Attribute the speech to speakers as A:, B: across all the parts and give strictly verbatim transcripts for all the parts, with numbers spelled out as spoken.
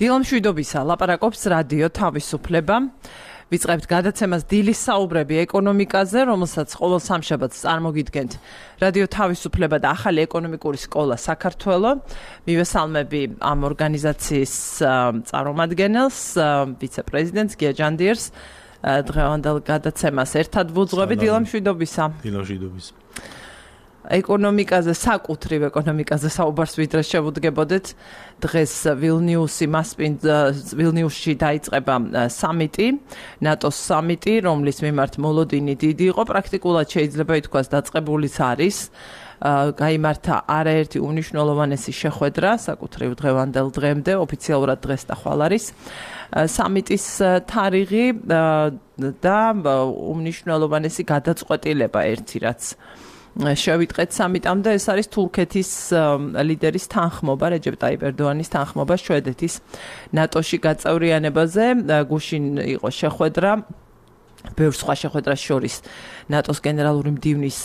A: დილამ შვიდობისა, ლაპარაკობს რადიო თავისუფლება. ვიწყებთ გადაცემას დილის საუბრები ეკონომიკაზე, რომელსაც ყოველ სამშაბათს წარმოგიდგენთ რადიო თავისუფლება და ახალი ეკონომიკური სკოლა საქართველო. მივესალმები ამ ორგანიზაციის წარმომადგენელს, ვიცე-პრეზიდენტს გია ჯანდიერს. დღევანდელ გადაცემას ერთად ვუძღვები. დილამ შვიდობისა.
B: დილამ შვიდობისა.
A: ეკონომიკაზე, საკუთრივ ეკონომიკაზე საუბარს ვიდრე შევუდგებოდეთ. დღეს ვილნიუსი მასპინძ ვილნიუსში დაიწყება სამიტი, ნატოს სამიტი, რომლის მიმართ მოლოდინი დიდი იყო, პრაქტიკულად შეიძლება ითქვას დაწყებულიც არის. გაიმართა არაერთი უმნიშვნელოვანესი შეხვედრა, საკუთრივ დღევანდელ დღემდე, ოფიციალურად დღეს და ხვალ არის. სამიტის თარიღი და უმნიშვნელოვანესი გადაწყვეტილება ერთი რაც შევიტყეთ სამიტამდე, ეს არის თურქეთის ლიდერის თანხმობა, რეჯეპ ტაიპ ერდოანის თანხმობა შვედეთის ნატოში გაწევრიანებაზე. გუშინ იყო შეხვედრა, ბევრ სხვა შეხვედრას შორის ნატოს გენერალური მდივნის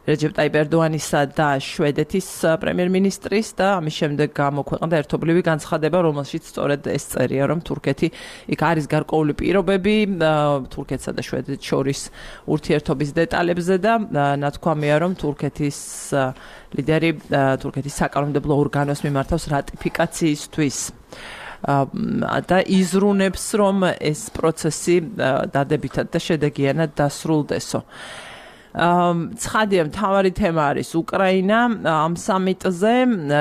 A: რეჯეპ ტაიპ ერდოანისა და შვედეთის პრემიერ-მინისტრის და ამის შემდეგ გამოქვეყნდა ერთობლივი განცხადება, რომელშიც სწორედ ეს წერია, რომ თურქეთი იქ არის გარკვეული პირობები თურქეთსა და შვედეთს შორის ურთიერთობის დეტალებზე და ნათქვამია, რომ თურქეთის ლიდერი თურქეთის საკანონმდებლო ორგანოს მიმართავს რატიფიკაციისთვის და იზრუნებს, რომ ეს პროცესი დადებითად და შედეგიანად დასრულდესო. ცხადია, მთავარი თემა არის უკრაინა ამ სამიტზე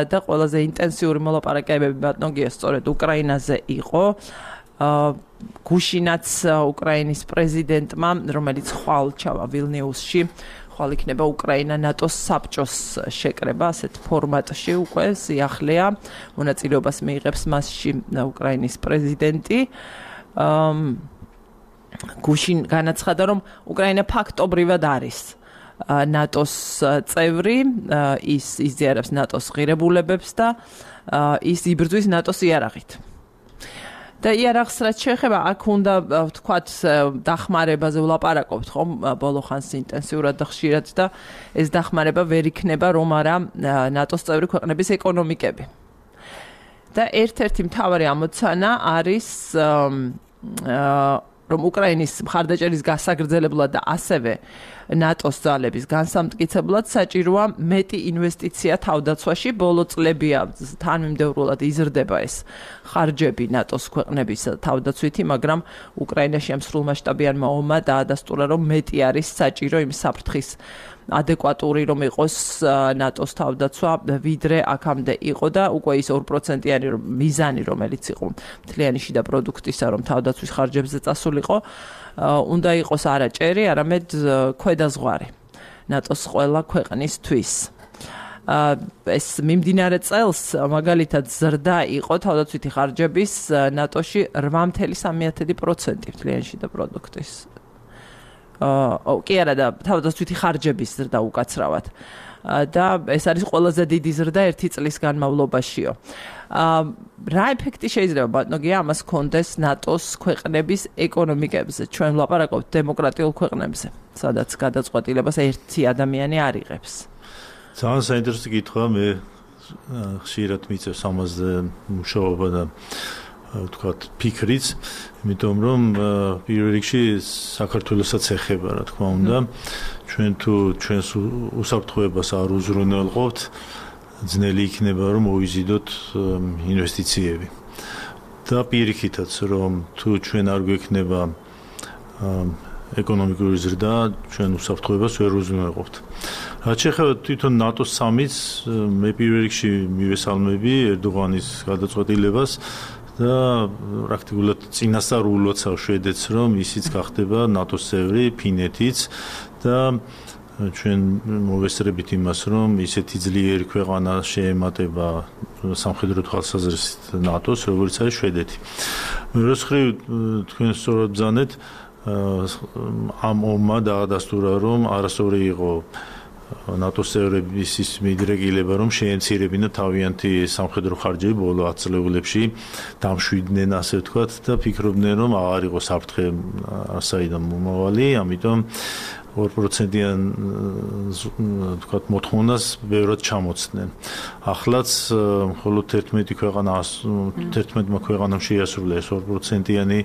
A: და ყველაზე ინტენსიური მოლაპარაკებები ბატონო გია სწორედ უკრაინაზე იყო. გუშინაც უკრაინის პრეზიდენტმა, რომელიც ხვალ ჩავა ვილნიუსში, ხვალ იქნება უკრაინა ნატოს საბჭოს შეკრება, ასეთ ფორმატში უკვე სიახლეა, მონაწილეობას მიიღებს მასში უკრაინის პრეზიდენტი. გუშინ განაცხადა, რომ უკრაინა ფაქტობრივად არის ნატოს წევრი, ის იზიარებს ნატოს ღირებულებებს და ის იბრძვის ნატოს იარაღით. და იარაღს რაც შეეხება, აქ უნდა ვთქვათ დახმარებაზე ვლაპარაკობთ, ხომ, ბოლო ხანს ინტენსიურად და ხშირად და ეს დახმარება ვერ იქნება, რომ არა ნატოს წევრი ქვეყნების ეკონომიკები. და ერთ-ერთი მთავარი ამოცანა არის რომ უკრაინის მხარდაჭერის გასაგრძელებლად და ასევე ნატოს ძალების განსამტკიცებლად საჭიროა მეტი ინვესტიცია თავდაცვაში. ბოლო წლებია თანმიმდევრულად იზრდება ეს ხარჯები ნატოს ქვეყნების თავდაცვითი, მაგრამ უკრაინაში ამ სრულმასშტაბიანმა ომმა დაადასტურა, რომ მეტი არის საჭირო იმ საფრთხის ადეკვატური, რომ იყოს ნატოს თავდაცვა, ვიდრე აქამდე იყო და უკვე ის ორ პროცენტიანი მიზანი, რომელიც იყო მთლიანი შიდა პროდუქტისა, რომ თავდაცვის ხარჯებზე წასულიყო, უნდა იყოს არა ჭერი, არამედ ქვედაზღვარი ნატოს ყველა ქვეყნისთვის. ეს მიმდინარე წელს მაგალითად ზრდა იყო თავდაცვითი ხარჯების ნატოში რვა წუთი სამი პროცენტი მთლიანი შიდა პროდუქტის. ო, კი არა და თავდაცვითი ხარჯების ზრდა უკაცრავად. და ეს არის ყველაზე დიდი ზრდა ერთი წლის განმავლობაშიო. რა ეფექტი შეიძლება ბატონო გია ამას ჰქონდეს ნატოს ქვეყნების ეკონომიკებზე? ჩვენ ვლაპარაკობთ დემოკრატიულ ქვეყნებზე, სადაც გადაწყვეტილებას ერთი ადამიანი არ იღებს.
B: ძალიან საინტერესო კითხვაა, მე ხშირად მიწევს ამაზე მუშაობა და ვთქვათ ფიქრიც, იმიტომ რომ პირველ რიგში საქართველოსაც ეხება, რა თქმა უნდა. ჩვენ თუ ჩვენს უსაფრთხოებას არ უზრუნველყოფთ, ძნელი იქნება რომ მოვიზიდოთ ინვესტიციები. და პირიქითაც რომ თუ ჩვენ არ გვექნება ეკონომიკური ზრდა, ჩვენ უსაფრთხოებას ვერ უზრუნველყოფთ. რაც შეეხება თვითონ ნატოს სამიტს, მე პირველ რიგში მივესალმები ერდოღანის გადაწყვეტილებას და პრაქტიკულად წინასწარულოცავ შვედეთს, რომ ისიც გახდება ნატოს წევრი, ფინეთიც და ჩვენ მოვესწრებით იმას, რომ ისეთი ძლიერი ქვეყანა შეემატება სამხედრო თვალსაზრისით ნატოს, როგორც არის შვედეთი. მეორე მხრივ, თქვენ სწორად ბრძანეთ, ამ ომმა დაადასტურა, რომ არასწორი იყო ნატოს წევრების ის მიდრეკილება, რომ შეემცირებინა თავიანთი სამხედრო ხარჯები ბოლო ათ წლებში, დამშვიდნენ ასე ვთქვათ და ფიქრობდნენ, რომ აღარ იყო საფრთხე საიდან მომავალი, ამიტომ ორ პროცენტიან თქვათ მოთხოვნას ბევრად ჩამოცდნენ. ახლაც მხოლოდ ერთმეტი ქვეყანა ერთმეტმა ქვეყანამ შეასრულა ეს ორ პროცენტიანი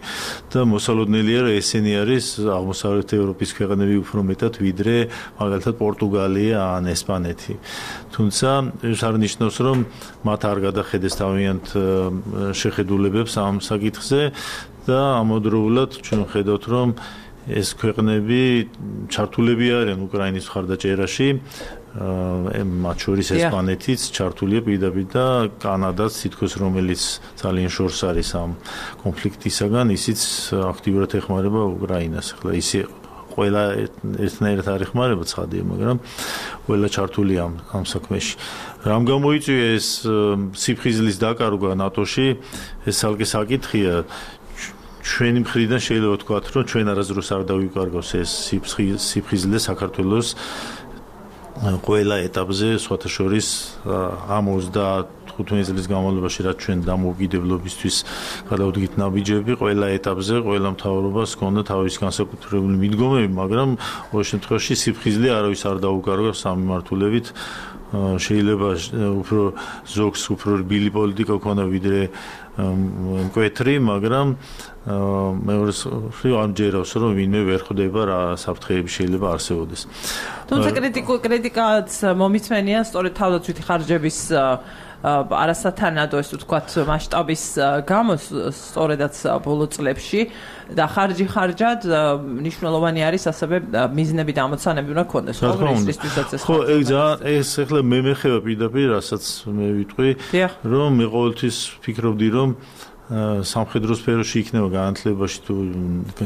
B: და მოსალოდნელია რომ ესენი არის აღმოსავლეთ ევროპის ქვეყნები უფრო მეტად ვიდრე მაგალითად პორტუგალია ან ესპანეთი. თუმცა ეს არ ნიშნავს რომ მათ არ გადახედეს თავიანთ შეხედულებებს ამ საკითხზე და ამავდროულად ჩვენ ხედავთ რომ ეს ქვეყნები ჩართულები არიან უკრაინის მხარდაჭერაში, მათ შორის ესპანეთიც ჩართულია პირდაპირ და კანადაც თითქოს რომელიც ძალიან შორს არის ამ კონფლიქტისაგან, ისიც აქტიურად ეხმარება უკრაინას. ახლა ისე ყველა ერთნაირად არ ეხმარება ცხადია, მაგრამ ყველა ჩართულია ამ ამ საქმეში. რამ გამოიწვია ეს სიფხიზლის დაკარგვა ნატოში, ეს ალკე საკითხია. ჩვენი მხრიდან შეიძლება ვთქვათ, რომ ჩვენ არასდროს არ დავიკარგავს ეს სიფხიზლე საქართველოს ყველა ეტაპზე, სხვათა შორის ამ ოცდათხუთმეტი წლის განმავლობაში, რაც ჩვენ დამოუკიდებლობისთვის გადავდგით ნაბიჯები, ყველა ეტაპზე, ყველა მთავრობას ჰქონდა თავის განსაკუთრებული მიდგომები, მაგრამ ყოველ შემთხვევაში სიფხიზლე არავის არ დაუკარგავს ამ მიმართულებით. შეიძლება უფრო ზოგს უფრო რბილი პოლიტიკა ქონდა ვიდრე მკვეთრი, მაგრამ მეორე მხრივ ამჯერავს რომ ვინმე ვერ ხვდება რა საფრთხეები შეიძლება არსებობდეს.
A: თუმცა კრიტიკაც მომიწვენია სწორედ თავდაცვითი ხარჯების არასათანადო ეს ვთქვათ მასშტაბის გამო სწორედაც ბოლო წლებში და ხარჯი ხარჯად მნიშვნელოვანი არის ასევე მიზნები და ამოცანები უნდა ქონდეს კონგრესისთვისაც ეს
B: ხო ეგ ძალიან ეს ახლა მე მეხება პირდაპირ რასაც მე ვიტყვი რომ მე ყოველთვის ფიქრობდი რომ სამხედრო სფეროში იქნება განათლებაში თუ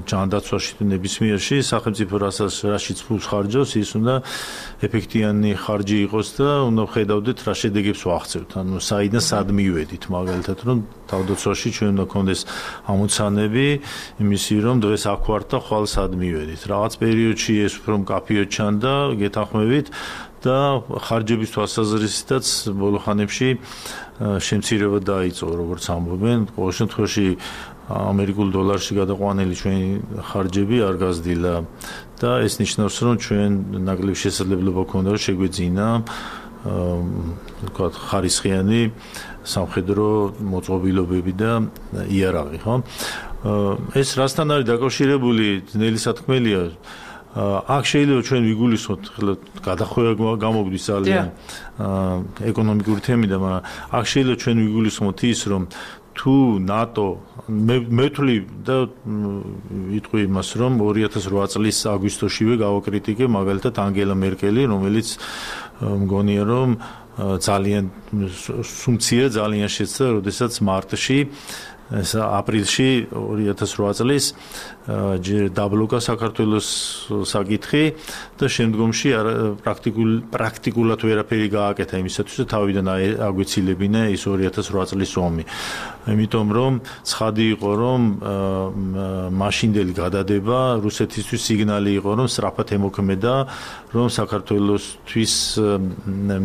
B: ჯანდაცვაში თუ ნებისმიერში სახელმწიფო რასაც რაშიც ფულს ხარჯავს ის უნდა ეფექტიანი ხარჯი იყოს და უნდა ხედავდეთ რა შედეგებს ვაღწევთ ანუ საიდან სად მივედით მაგალითად რომ თავდაცვაში ჩვენ უნდა გქონდეს ამოცანები იმისი რომ დღეს აქ ვართ და ხვალ სად მივედით რაღაც პერიოდში ეს უფრო მკაფიოდ ჩანდა გეთანხმებით და ხარჯების თვალსაზრისითაც ბოლო ხანებში შემცირება დაიწყო როგორც ამბობენ ყოველ შემთხვევაში ამერიკულ დოლარში გადაყვანილი ჩვენი ხარჯები არ გაზრდილა და ეს ნიშნავს რომ ჩვენ ნაკლებ შესაძლებლობა გქონდა რომ შეგვეძინა ვთქვათ ხარისხიანი სამხედრო მოწყობილობები და იარაღი ხო ეს რასთან არის დაკავშირებული ძნელი სათქმელია აქ შეიძლება ჩვენ ვიგულისხმოთ ხლა გადახვევა გამოგვდის ძალიან ეკონომიკური თემიდან, მაგრამ აქ შეიძლება ჩვენ ვიგულისხმოთ ის რომ თუ ნატო მე ვთვლი და ვიტყვი იმას რომ ორი ათას რვა წლის აგვისტოშივე გავაკრიტიკე მაგალითად ანგელა მერკელი რომელიც მგონია რომ ძალიან სუმცია ძალიან შეცდა როდესაც მარტში ეს აპრილში ორი ათას რვა წლის დაბლოკა საქართველოს საკითხი და შემდგომში პრაქტიკულ პრაქტიკულად ვერაფერი გააკეთა იმისათვის რომ თავიდან აგვეცილებინა ის ორი ათას რვა წლის ომი. იმიტომ რომ ცხადი იყო რომ მაშინდელი გადადება რუსეთისთვის სიგნალი იყო რომ სწრაფად ემოქმედა რომ საქართველოსთვის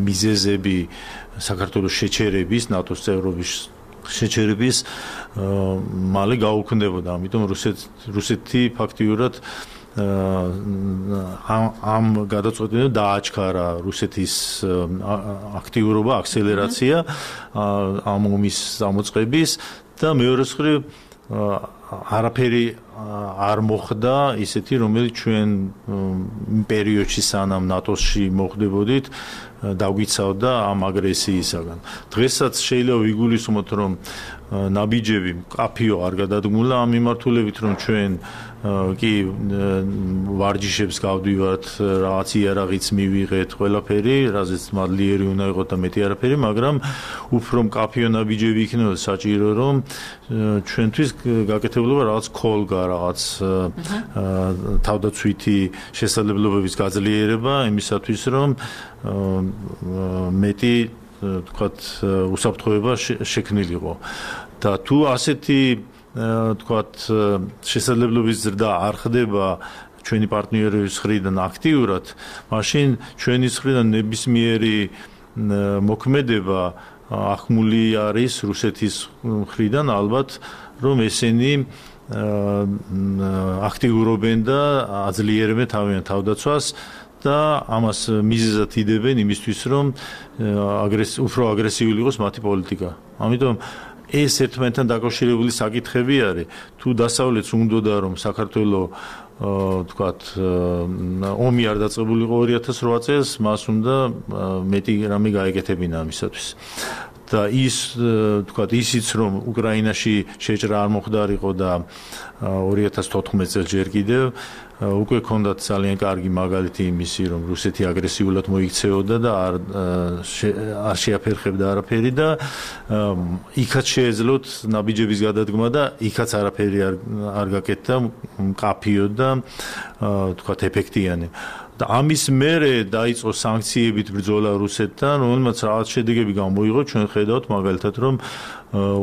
B: მიზეზები საქართველოს შეჩერების ნატოს წევრობის შეჩერების მალე გაუქმდებოდა. ამიტომ რუსეთ რუსეთი ფაქტიურად ამ გადაწყვეტილებას დააჩქარა რუსეთის აქტიურობა, აქსელერაცია ამ ომის დამოწყების და მეორე მხრივ არაფერი არ მოხდა ისეთი რომელიც ჩვენ პერიოდში სანამ ნატოში მოხდებოდით დაგვიცავდა ამ აგრესიისაგან. დღესაც შეიძლება ვიგულისხმოთ რომ ნაბიჯები კაფიო არ გადადგმულა ამ მიმართულებით რომ ჩვენ კი ვარჯიშებს გავდივართ რაღაც იარაღიც მივიღეთ ყველაფერი რაზეც მადლიერი უნდა იყოს და მეტი არაფერი მაგრამ უფრო კაფიო ნაბიჯები იქნება საჭირო რომ ჩვენთვის გაკეთებულობა რაღაც ქოლგა რაღაც თავდაცვითი შესაძლებლობების გაძლიერება იმისათვის რომ მეტი თქვათ უსაფრთხოება შექმნილიყო და თუ ასეთი თქვათ შესაძლებლობის ზრდა არ ხდება ჩვენი პარტნიორების მხრიდან აქტიურად, მაშინ ჩვენი მხრიდან ნებისმიერი მოქმედება ახმული არის რუსეთის მხრიდან ალბათ რომ ესენი აქტიურობენ და აძლიერებენ თავიანთ თავდაცვას და ამას მიზეზად იდებენ იმისთვის, რომ უფრო აგრესიული იყოს მათი პოლიტიკა. ამიტომ ეს ერთმანეთთან დაკავშირებული საკითხები არის. თუ დასავლეთს უნდოდა რომ საქართველოს თქვათ ომი არ დაწყებულიყო ორი ათას რვა წელს, მას უნდა მეტი რამე გაეკეთებინა ამისათვის. და ის თქვათ ისიც რომ უკრაინაში შეჭრა არ მოხდარიყო და ორი ათას თოთხმეტ წელს ჯერ კიდევ უკვე ჰქონდათ ძალიან კარგი მაგალითი იმისი რომ რუსეთი აგრესიულად მოიქცეოდა და არ არ შეაფერხებდა არაფერი და იქაც შეეძლოთ ნაბიჯების გადადგმა და იქაც არაფერი არ არ გაკეთდა მკაფიო და თქვათ ეფექტიანი. და ამის მერე დაიწყო სანქციებით ბრძოლა რუსეთთან, რომელმაც რაღაც შედეგები გამოიღო. ჩვენ ხედავთ მაგალითად, რომ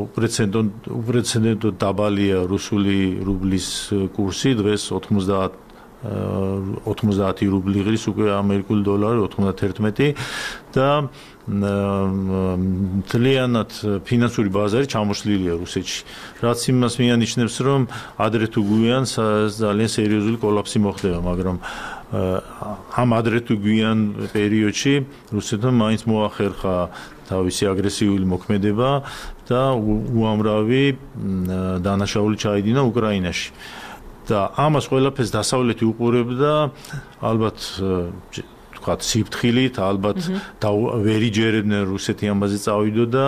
B: უპრეცედენტო უპრეცედენტო დაბალია რუსული რუბლის კურსი, დღეს ოთხმოცდაათი რუბლი ღირს უკვე ამერიკული დოლარი ოთხმოცდაათი და მთლიანად ფინანსური ბაზარი ჩამოშლილია რუსეთში. რაც იმას მიანიშნებს, რომ ადრე თუ გვიან ძალიან სერიოზული კოლაფსი მოხდება, მაგრამ ამ ადრე თუ გვიან პერიოდში რუსეთმა მაინც მოახერხა თავისი აგრესიული მოქმედება და უამრავი დანაშაული ჩაიდინა უკრაინაში. და ამას ყველაფერს დასავლეთი უყურებდა ალბათ თქვათ სიფრთხილით, ალბათ ვერ იჯერებდნენ რუსეთი ამაზე წავიდოდა,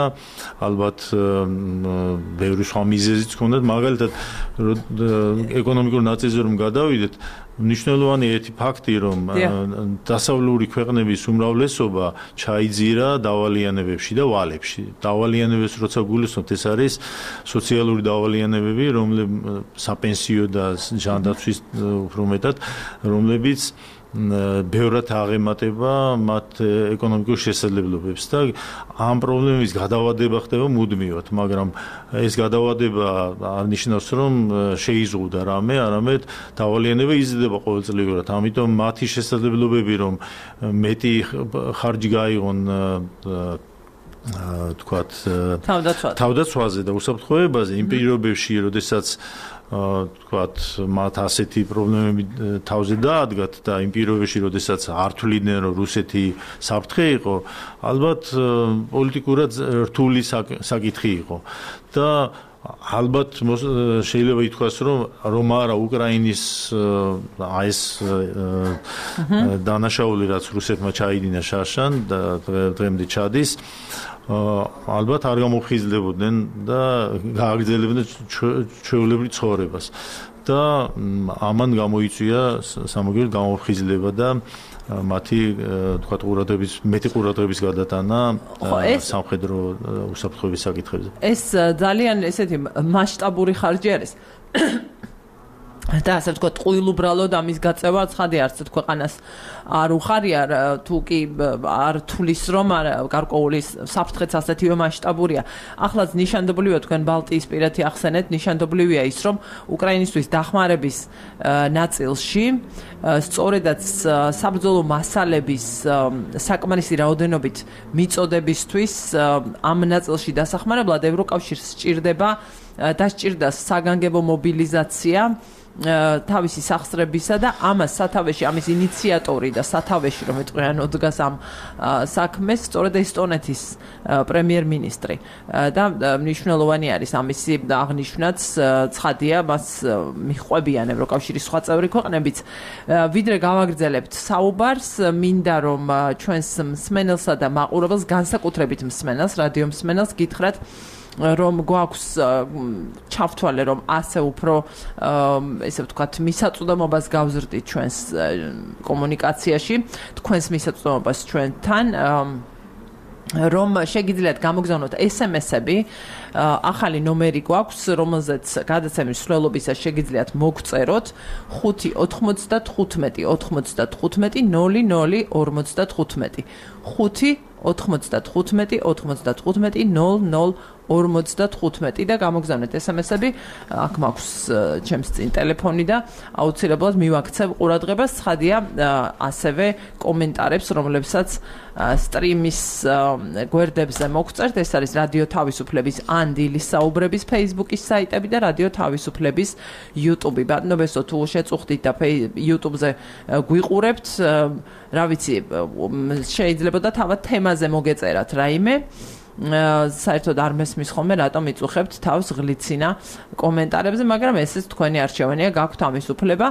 B: ალბათ ბევრი სხვა მიზეზიც ჰქონდათ, მაგალითად ეკონომიკურ ნაწილზე რომ გადავიდეთ, მნიშვნელოვანი ერთი ფაქტი, რომ დასავლური ქვეყნების უმრავლესობა ჩაიძირა დავალიანებებში და ვალებში. დავალიანებებს როცა გულისხმობთ, ეს არის სოციალური დავალიანებები, რომლებიც საპენსიო და ჯანდაცვის უფრო მეტად, რომლებიც ბევრად აღემატება მათ ეკონომიკურ შესაძლებლობებს და ამ პრობლემის გადავადება ხდება მუდმივად, მაგრამ ეს გადავადება არ ნიშნავს, რომ შეიზღუდა რამე, არამედ დავალიანება იზრდება ყოველწლიურად. ამიტომ მათი შესაძლებლობები, რომ მეტი ხარჯი გაიღონ თქვათ თავდაცვაზე და უსაფრთხოებაზე იმ პირობებში, როდესაც თქვათ მათ ასეთი პრობლემები თავზე დაადგათ და იმ პირობებში, როდესაც არ თვლიდნენ, რომ რუსეთი საფრთხე იყო, ალბათ პოლიტიკურად რთული საკითხი იყო და ალბათ შეიძლება ითქვას, რომ რომ არა უკრაინის ეს დანაშაული, რაც რუსეთმა ჩაიდინა შარშან და დღემდე ჩადის, ალბათ არ გამოფხიზლებოდნენ და გააგრძელებდნენ ჩვეულებრივ ცხოვრებას და ამან გამოიწვია სამაგიეროდ გამოფხიზლება და მათი თქვათ ყურადღების მეტი ყურადღების გადატანა სამხედრო უსაფრთხოების საკითხებზე.
A: ეს ძალიან ესეთი მასშტაბური ხარჯი არის. და ასე ვთქვათ, ყვილუბრალოდ ამის გაწევა ცხადი არც ქვეყანას არ უხარია, თუ კი არ თulis რომ გარკვეული საფრთხეც ასეთივე მასშტაბურია. ახლაც ნიშანდობლივია, თქვენ ბალტიისპირეთი ახსენეთ, ნიშანდობლივია ის, რომ უკრაინისთვის დახმარების ნაწილში სწორედაც საბრძოლო მასალების საკმარისი რაოდენობით მიწოდებისთვის ამ ნაწილში დასახმარებლად ევროკავშირს სჭირდება და სჭირდა საგანგებო მობილიზაცია თავისი სახსრებისა და ამას სათავეში ამის ინიციატორი და სათავეში რომ ეტყვიანო დგას ამ საქმეს სწორედ ესტონეთის პრემიერ-მინისტრი და მნიშვნელოვანი არის ამისი აღნიშვნაც ცხადია მას მიჰყვებიან ევროკავშირის სხვა წევრი ქვეყნებიც ვიდრე გავაგრძელებთ საუბარს მინდა რომ ჩვენს მსმენელსა და მაყურებელს განსაკუთრებით მსმენელს რადიო მსმენელს გითხრათ რომ გვაქვს ჩავთვალე რომ ასე უფრო ესე ვთქვათ მისაწვდომობას გავზრდით ჩვენს კომუნიკაციაში თქვენს მისაწვდომობას ჩვენთან რომ შეგიძლიათ გამოგზავნოთ ესემესები ახალი ნომერი გვაქვს რომელზეც გადაცემის მსვლელობისას შეგიძლიათ მოგწეროთ ხუთი ოთხმოცდათხუთმეტი ოთხმოცდათხუთმეტი ნული ნული ორმოცდათხუთმეტი ხუთი ოთხმოცდათხუთმეტი ოთხმოცდათხუთმეტი ნული ნული ორმოცდათხუთმეტი და გამოგზავნეთ ესემესები, აქ მაქვს ჩემს წინ ტელეფონი და აუცილებლად მივაქცევ ყურადღებას, ცხადია ასევე კომენტარებს, რომლებსაც სტრიმის გვერდებზე მოგწერთ, ეს არის რადიო თავისუფლების ან დილის საუბრების Facebook-ის საიტები და რადიო თავისუფლების YouTube-ი. ბატონო ბესო, თუ შეწუხდით და YouTube-ზე გვიყურებთ, რა ვიცი, შეიძლება და თავად თემაზე მოგეწერათ რაიმე. საერთოდ არ მესმის ხოლმე რატომ იწუხებთ თავს ღლიცინა კომენტარებზე, მაგრამ ესეც თქვენი არჩევანია, გაქვთ ამის უფლება.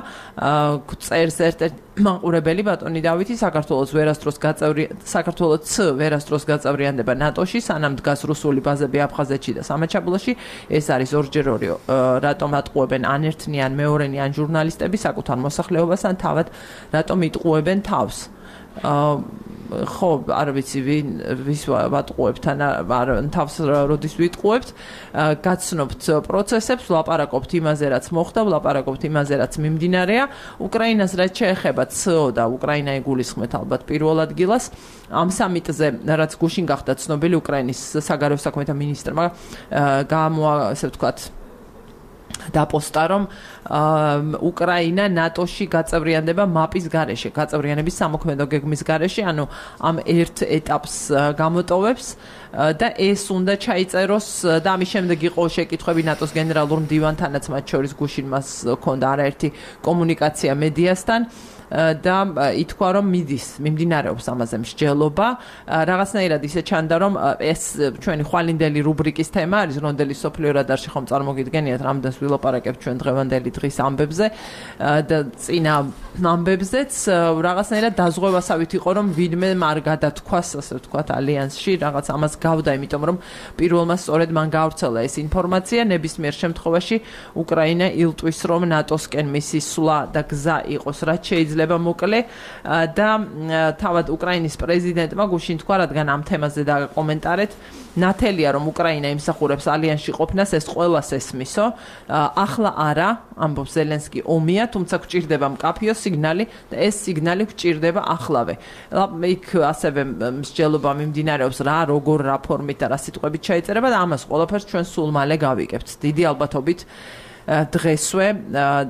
A: წერს ერთ-ერთ მაყურებელი ბატონი დავითი, საქართველოს ვერასდროს გაწევრი საქართველოს ვერასდროს გაწევრიანდება ნატოში, სანამ დგას რუსული ბაზები აფხაზეთში და სამაჩაბლოში. ეს არის ორჯერ ორი, რატომ ატყუებენ ან ერთნი ან მეორენი ან ჟურნალისტები საკუთარ მოსახლეობას ან თავად რატომ იტყუებენ თავს. ხო, არ ვიცი ვინ ვის ვატყუებთ ან თავს როდის ვიტყუებთ, გაცნობთ პროცესებს, ვლაპარაკობთ იმაზე, რაც მოხდა, ვლაპარაკობთ იმაზე, რაც მიმდინარეა. უკრაინას რაც შეეხება ცო და უკრაინა იგულისხმეთ ალბათ პირველ ადგილას. ამ სამიტზე, რაც გუშინ გახდა ცნობილი, უკრაინის საგარეო საქმეთა მინისტრმა გამოა, ესე ვთქვათ, დაპოსტა, რომ უკრაინა ნატოში გაწევრიანდება მაპის გარეშე, გაწევრიანების სამოქმედო გეგმის გარეშე, ანუ ამ ერთ ეტაპს გამოტოვებს და ეს უნდა ჩაიწეროს და ამის შემდეგ იყო შეკითხვები ნატოს გენერალურ მდივანთანაც, მათ შორის გუშინ მას ჰქონდა არაერთი კომუნიკაცია მედიასთან. და ითქვა რომ მიდის მიმდინარეობს ამაზე მსჯელობა. რაღაცნაირად ისე ჩანდა რომ ეს ჩვენი ხვალინდელი რუბრიკის თემა არის, რონდელი სოფლიო რადარში ხომ წარმოგიდგენიათ, რამდენს ვილაპარაკებთ ჩვენ დღევანდელი დღის ამბებზე და წინა ამბებზეც რაღაცნაირად დაზღვევასავით იყო რომ ვინმე არ გადათქვას, ასე ვთქვათ, ალიანსში, რაღაც ამას გავდა, იმიტომ რომ პირველმა სწორედ მან გაავრცელა ეს ინფორმაცია. ნებისმიერ შემთხვევაში უკრაინა ილტვის რომ ნატოსკენ მისი სვლა და გზა იყოს რაც შეიძლება მოკლე და თავად უკრაინის პრეზიდენტმა გუშინ თქვა, რადგან ამ თემაზე დაკომენტარეთ, ნათელია რომ უკრაინა იმსახურებს ალიანსში ყოფნას, ეს ყველას ესმისო. ახლა არა, ამბობს ზელენსკი, ომია, თუმცა გვჭირდება მკაფიო სიგნალი და ეს სიგნალი გვჭირდება ახლავე. იქ ასევე მსჯელობა მიმდინარეობს რა, როგორ, რა ფორმით და რა სიტყვებით ჩაიწერება და ამას ყველაფერს ჩვენ სულ მალე გავიგებთ. დიდი ალბათობით დღესვე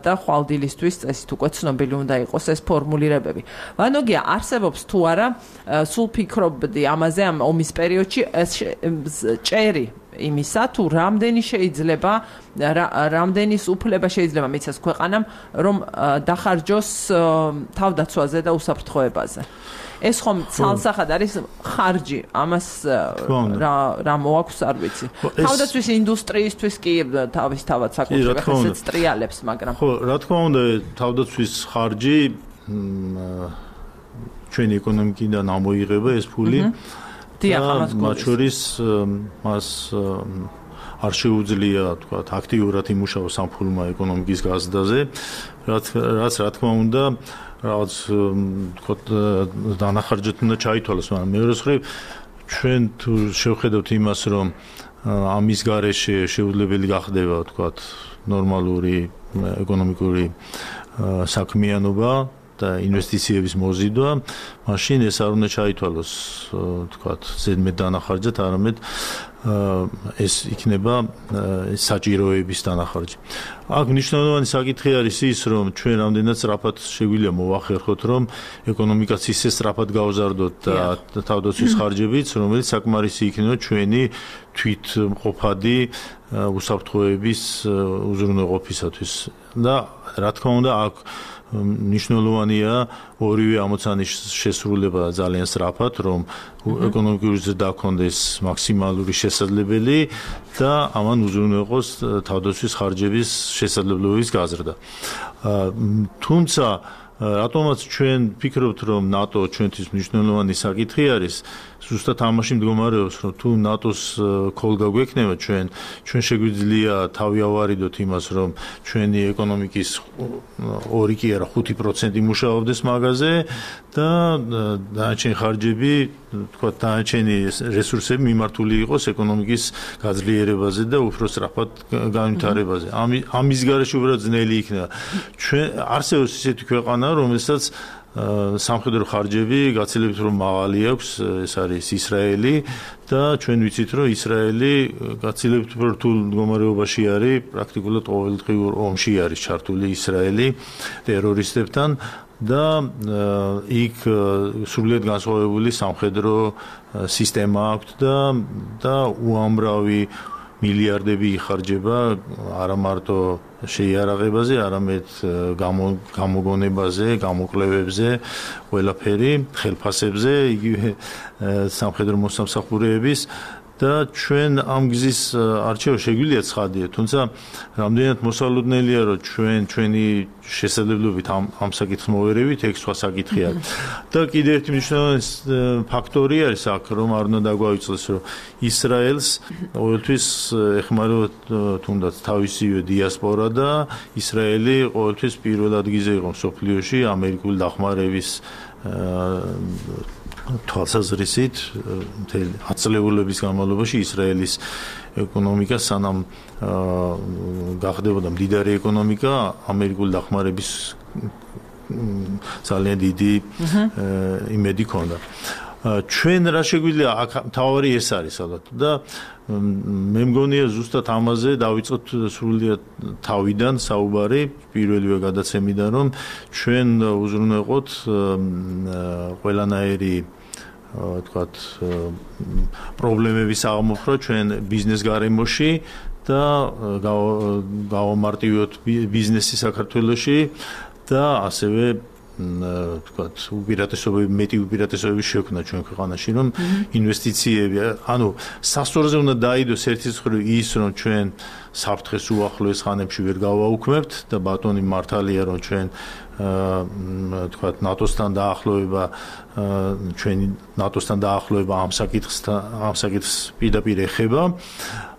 A: და ხვალდილისთვის წესით უკვე ცნობილი უნდა იყოს ეს ფორმულირებები. ვანოგია, არსებობს თუ არა, სულ ფიქრობდი ამაზე ამ ომის პერიოდში ჭერი იმისა, თუ რამდენი შეიძლება, რამდენის უფლება შეიძლება მიცეს ქვეყანამ, რომ დახარჯოს თავდაცვაზე და უსაფრთხოებაზე. ეს ხომ ცალსახად არის ხარჯი, ამას რა რა მოაქვს არ ვიცი. თავდაცვის ინდუსტრიისთვის კი თავის თავად საკუთრება ხესეც ტრიალებს, მაგრამ
B: ხო, რა თქმა უნდა, თავდაცვის ხარჯი ჩვენი ეკონომიკიდან ამოიღება ეს ფული.
A: დიახ, ამას
B: მათ შორის მას არ შეუძლია, თქვა, აქტიურად იმუშაოს ამ ფულმა ეკონომიკის გაზრდაზე, რაც რაც რა თქმა უნდა რაღაც თქო დანახარჯეთ უნდა ჩაითვალოს, მაგრამ მეორე მხრივ ჩვენ თუ შევხედავთ იმას, რომ ამის გარეშე შეუძლებელი გახდება, თქვა, ნორმალური ეკონომიკური საქმიანობა და ინვესტიციების მოზიდვა, მაშინ ეს არ უნდა ჩაითვალოს, თქვა, ზედმეტ დანახარჯად, არამედ ეს იქნება საჭიროების დანახარჯი. აქ მნიშვნელოვანი საკითხი არის ის, რომ ჩვენ რამდენად სწრაფად შეგვიძლია მოვახერხოთ, რომ ეკონომიკაც ისე სწრაფად გავზარდოთ და თავდაცვის ხარჯებიც, რომელიც საკმარისი იქნება ჩვენი თვითმყოფადი უსაფრთხოების უზრუნველყოფისათვის. და რა თქმა უნდა, აქ მნიშვნელოვანია ორივე ამოცანის შესრულება ძალიან სწრაფად, რომ ეკონომიკური ზრდა გქონდეს მაქსიმალური შესაძლებელი და ამან უზრუნველყოს თავდაცვის ხარჯების შესაძლებლობის გაზრდა. თუმცა რატომაც ჩვენ ფიქრობთ, რომ ნატო ჩვენთვის მნიშვნელოვანი საკითხი არის, ზუსტად ამაში მდგომარეობს, რომ თუ ნატოს ქოლგა გვექნება ჩვენ, ჩვენ შეგვიძლია თავი ავარიდოთ იმას, რომ ჩვენი ეკონომიკის ორი კი არა ხუთი პროცენტი მუშაობდეს მაგაზე და დანარჩენი ხარჯები, თქვა, დანარჩენი რესურსები მიმართული იყოს ეკონომიკის გაძლიერებაზე და უფრო სწრაფად განვითარებაზე. ამის გარეშე უბრალოდ ძნელი იქნება. ჩვენ არსებობს ისეთი ქვეყანა, რომელსაც სამხედრო ხარჯები გაცილებით რომ მაღალი აქვს, ეს არის ისრაელი და ჩვენ ვიცით რომ ისრაელი გაცილებით რთულ მდგომარეობაში არის, პრაქტიკულად ყოველდღიურ ომში არის ჩართული ისრაელი ტერორისტებთან და იქ სრულიად განსხვავებული სამხედრო სისტემა აქვს და და უამრავი მილიარდები იხარჯება არა მარტო შეიარაღებაზე, არამედ გამოგონებაზე, გამოკვლევებზე, ყველაფერი, ხელფასებზე, იგივე სამხედრო მოსამსახურეების და ჩვენ ამ გზის არჩევა შეგვიძლია ცხადია, თუმცა რამდენად მოსალოდნელია, რომ ჩვენ ჩვენი შესაძლებლობით ამ ამ საკითხს მოვერევით, ეგ სხვა საკითხია. და კიდევ ერთი მნიშვნელოვანი ფაქტორი არის აქ, რომ არ უნდა დაგვაიწოს, რომ ისრაელს ყოველთვის ეხმარება თუნდაც თავისივე დიასპორა და ისრაელი ყოველთვის პირველ ადგილზე იყო მსოფლიოში ამერიკული დახმარების თვალსაზრისით მთელი ათწლეულების განმავლობაში ისრაელის ეკონომიკა სანამ გახდებოდა მდიდარი ეკონომიკა ამერიკული დახმარების ძალიან დიდი იმედი ჰქონდა. ჩვენ რა შეგვიძლია აქ თავი ეს არის ალბათ და მე მგონია ზუსტად ამაზე დავიწყოთ სრულიად თავიდან საუბარი პირველივე გადაცემიდან რომ ჩვენ უზრუნველყოთ ყველანაირი თქვათ პრობლემების აღმოფხვრა ჩვენ ბიზნეს გარემოში და გავამარტივოთ ბიზნესი საქართველოში და ასევე თქვათ უპირატესობები მეტი უპირატესობები შექმნა ჩვენ ქვეყანაში რომ ინვესტიციები ანუ სასწორზე უნდა დაიდოს ერთის მხრივ ის რომ ჩვენ საფრთხეს უახლოეს ხანებში ვერ გავაუქმებთ და ბატონი მართალია რომ ჩვენ თქვათ ნატოსთან დაახლოება ჩვენი ნატოსთან დაახლოება ამ საკითხსთან ამ საკითხს პირდაპირ ეხება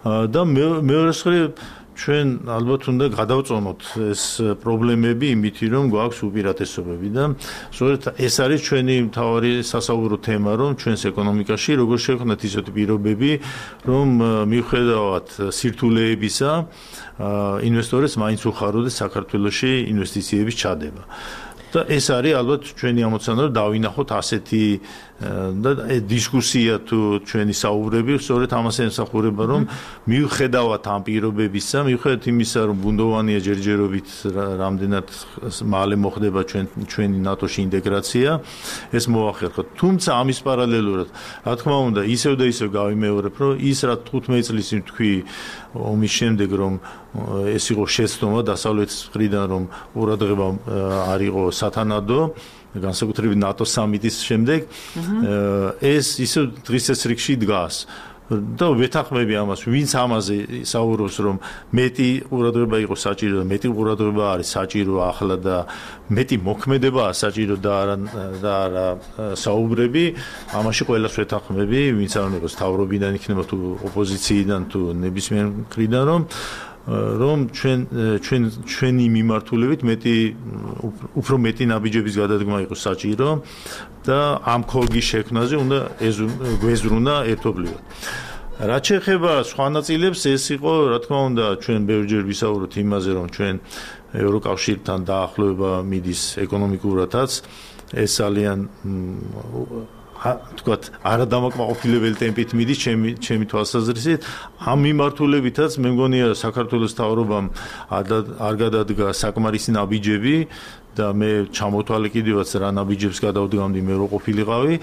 B: და მეორე მხრივ ჩვენ ალბათ უნდა გადავწონოთ ეს პრობლემები იმითი რომ გვაქვს უპირატესობები და სწორედ ეს არის ჩვენი მთავარი სასაუბრო თემა რომ ჩვენს ეკონომიკაში როგორ შევქმნათ ისეთი პირობები რომ მიუხედავად სირთულეებისა ინვესტორებს მაინც უხაროდეს საქართველოში ინვესტიციების ჩადება და ეს არის ალბათ ჩვენი ამოცანა რომ დავინახოთ ასეთი და დისკუსია თუ ჩვენი საუბრები სწორედ ამას ემსახურება რომ მიუხედავად ამ პირობებისა, მიუხედავად იმისა რომ ბუნდოვანია ჯერჯერობით რამდენად მალე მოხდება ჩვენ ჩვენი ნატოში ინტეგრაცია, ეს მოახერხოთ. თუმცა ამის პარალელურად, რა თქმა უნდა, ისევ და ისევ გავიმეორებ, რომ ის რა თხუთმეტ წლის თქვი ომის შემდეგ რომ ეს იყო შეცდომა დასავლეთის მხრიდან რომ ყურადღება არ იყო სათანადო განსაკუთრებით ნატოს სამიტის შემდეგ ეს ისე დღის წესრიგში დგას და ვეთანხმები ამას ვინც ამაზე საუბრობს რომ მეტი ყურადღება იყო საჭირო და მეტი ყურადღება არის საჭირო ახლა და მეტი მოქმედებაა საჭირო და არა და არა საუბრები ამაში ყველას ვეთანხმები ვინც არ უნდა თავრობიდან იქნება თუ ოპოზიციიდან თუ ნებისმიერ მხრიდან რომ რომ ჩვენ ჩვენ ჩვენი მიმართულებით მეტი უფრო მეტი ნაბიჯების გადადგმა იყო საჭირო და ამ ქოლგის შექმნაზე უნდა გვეზრუნა ერთობლივად. რაც შეეხება სხვა ნაწილებს, ეს იყო, რა თქმა უნდა, ჩვენ ბევრჯერ ვისაუბროთ იმაზე, რომ ჩვენ ევროკავშირთან დაახლოება მიდის ეკონომიკურათაც, ეს ძალიან თქვათ არადამაკმაყოფილებელი ტემპით მიდის ჩემი ჩემი თვალსაზრისით ამ მიმართულებითაც მე მგონია საქართველოს მთავრობამ არ გადადგა საკმარისი ნაბიჯები და მე ჩამოთვალე კიდევაც რა ნაბიჯებს გადავდგამდი მე რო ყოფილიყავი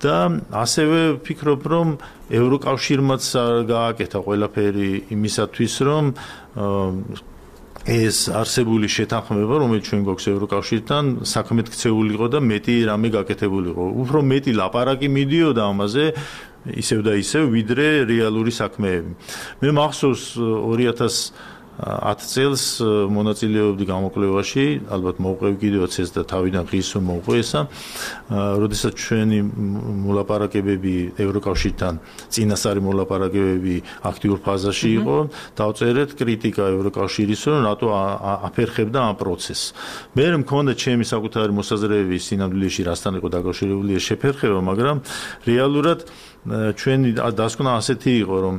B: და ასევე ვფიქრობ რომ ევროკავშირმაც გააკეთა ყველაფერი იმისათვის რომ ეს არსებული შეთანხმება, რომელიც ჩვენ გვაქვს ევროკავშირთან, საქმეთ ქცეულიყო და მეტი რამე გაკეთებულიყო. უფრო მეტი ლაპარაკი მიდიოდა ამაზე, ისევ და ისევ, ვიდრე რეალური საქმეები. მე მახსოვს ორი ათას ათ წელს მონაწილეობდი გამოკვლევაში, ალბათ მოვყევი კიდევაც ეს და თავიდან ღირს მოვყვე ესა, როდესაც ჩვენი მოლაპარაკებები ევროკავშირთან, წინასწარი მოლაპარაკებები აქტიურ ფაზაში იყო, დავწერეთ კრიტიკა ევროკავშირის, რომ რატო აფერხებდა ამ პროცესს. მე მქონდა ჩემი საკუთარი მოსაზრებები სინამდვილეში რასთან იყო დაკავშირებული ეს შეფერხება, მაგრამ რეალურად ჩვენი დასკვნა ასეთი იყო, რომ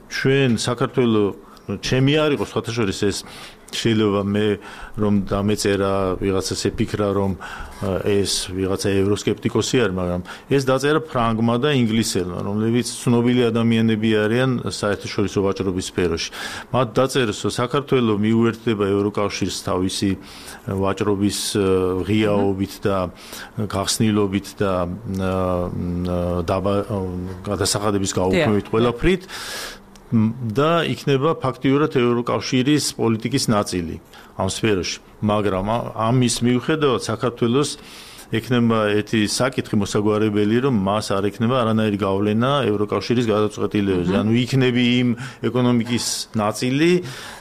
B: ჩვენ საქართველოს ჩემი არ იყო სხვათაშორის ეს შეიძლება მე რომ დამეწერა ვიღაცას epikra რომ ეს ვიღაცა ევროსკეპტიკოსი არის, მაგრამ ეს დაწერა ფრანგმა და ინგლისელმა, რომლებიც ცნობილი ადამიანები არიან საერთაშორისო ვაჭრობის სფეროში. მათ დაწერეს, რომ საქართველო მიუერთდება ევროკავშირს თავისი ვაჭრობის ღიაობით და გახსნილობით და გადასახადების გაუქმებით ყველაფრით და იქნება ფაქტიურად ევროკავშირის პოლიტიკის ნაწილი ამ სფეროში. მაგრამ ამის მიუხედავად საქართველოს ექნება ერთი საკითხი მოსაგვარებელი, რომ მას არ ექნება არანაირი გავლენა ევროკავშირის გადაწყვეტილებებზე. ანუ იქნები იმ ეკონომიკის ნაწილი,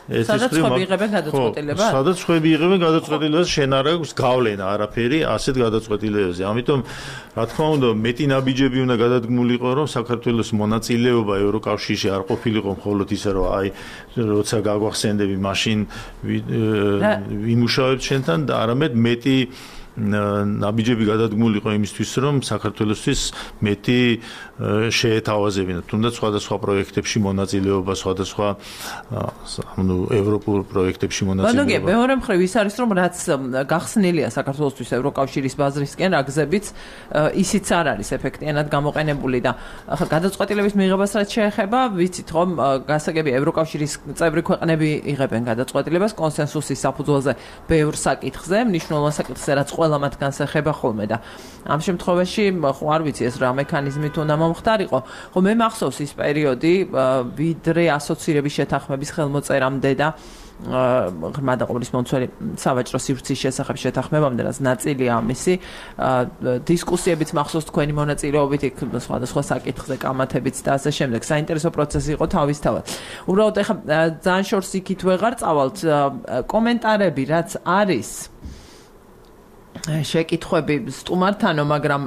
A: სადაც ხები იღებენ გადაწყვეტილებას?
B: სადაც ხები იღებენ გადაწყვეტილებას, შენ არ აქვს გავლენა არაფერი ასეთ გადაწყვეტილებებზე. ამიტომ, რა თქმა უნდა, მეტი ნაბიჯები უნდა გადადგმულიყო, რომ საქართველოს მონაწილეობა ევროკავშირში არ ყოფილიყო მხოლოდ ისე, რომ აი, როცა გაგვახსენდები, მაშინ ვიმუშავებთ შენთან და არამედ მეტი ნაბიჯები გადადგმულიყო იმისთვის, რომ საქართველოსთვის მეტი შეეთავაზებინა, თუნდაც სხვადასხვა პროექტებში მონაწილეობა, სხვადასხვა ანუ ევროპულ პროექტებში მონაწილეობა.
A: ბანოგე, მეორე მხრივ ის არის, რომ რაც გახსნილია საქართველოსთვის ევროკავშირის ბაზრისკენ, რა გზებიც ისიც არ არის ეფექტიანად გამოყენებული და ახლა გადაწყვეტილების მიღებას რაც შეეხება, ვიცით რომ გასაგები ევროკავშირის წევრი ქვეყნები იღებენ გადაწყვეტილებას კონსენსუსის საფუძველზე ბევრ საკითხზე, მნიშვნელოვან საკითხზე, რაც ყველა მათგანს ეხება ხოლმე და ამ შემთხვევაში ხო არ ვიცი ეს რა მექანიზმით უნდა მომხდარიყო. ხო მე მახსოვს ის პერიოდი, ვიდრე ასოცირების შეთანხმების ხელმოწერამდე და ღრმა და ყოვლის მომცველი სავაჭრო სივრცის შესახებ შეთანხმებამდე, რაც ნაწილია ამისი დისკუსიებიც მახსოვს თქვენი მონაწილეობით იქ სხვადასხვა საკითხზე, კამათებიც და ასე შემდეგ. საინტერესო პროცესი იყო თავისთავად. უბრალოდ ეხლა ძალიან შორს იქით ვეღარ წავალთ, კომენტარები რაც არის შეკითხვები სტუმართანო, მაგრამ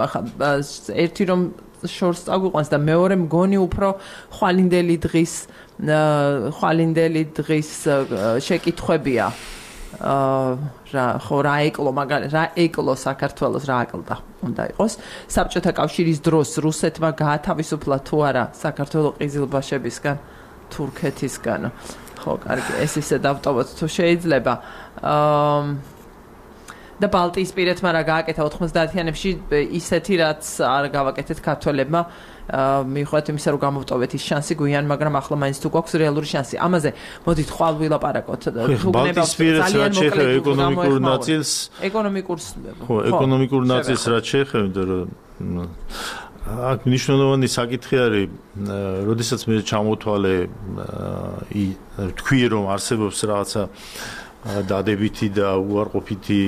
A: ერთი რომ შორს წაგვიყვანს და მეორე მგონი უფრო ხვალინდელი დღის ხვალინდელი დღის შეკითხვებია. რა ხო რა ეკლო მაგარი რა ეკლო საქართველოს რა აკლდა უნდა იყოს. საბჭოთა კავშირის დროს რუსეთმა გაათავისუფლა თუ არა საქართველოს ყიზილბაშებისგან, თურქეთისგან. ხო, კარგი, ეს ისე დავტოვოთ თუ შეიძლება. აა და ბალტიისპირეთმა რა გააკეთა ოთხმოცდაათიანებში ისეთი რაც არ გავაკეთეთ ქართველებმა მიუხედავად იმისა რომ გამოვტოვეთ ის შანსი გვიან, მაგრამ ახლა მაინც თუ გვაქვს რეალური შანსი. ამაზე მოდით ხვალ ვილაპარაკოთ.
B: ბალტიისპირეთს რაც შეეხება ეკონომიკურ ნაწილს,
A: ეკონომიკურს
B: ხო, ეკონომიკურ ნაწილს რაც შეეხება, რომ აქ მნიშვნელოვანი საკითხი არის, როდესაც მე ჩამოთვალე თქვი რომ არსებობს რაღაცა დადებითი და უარყოფითი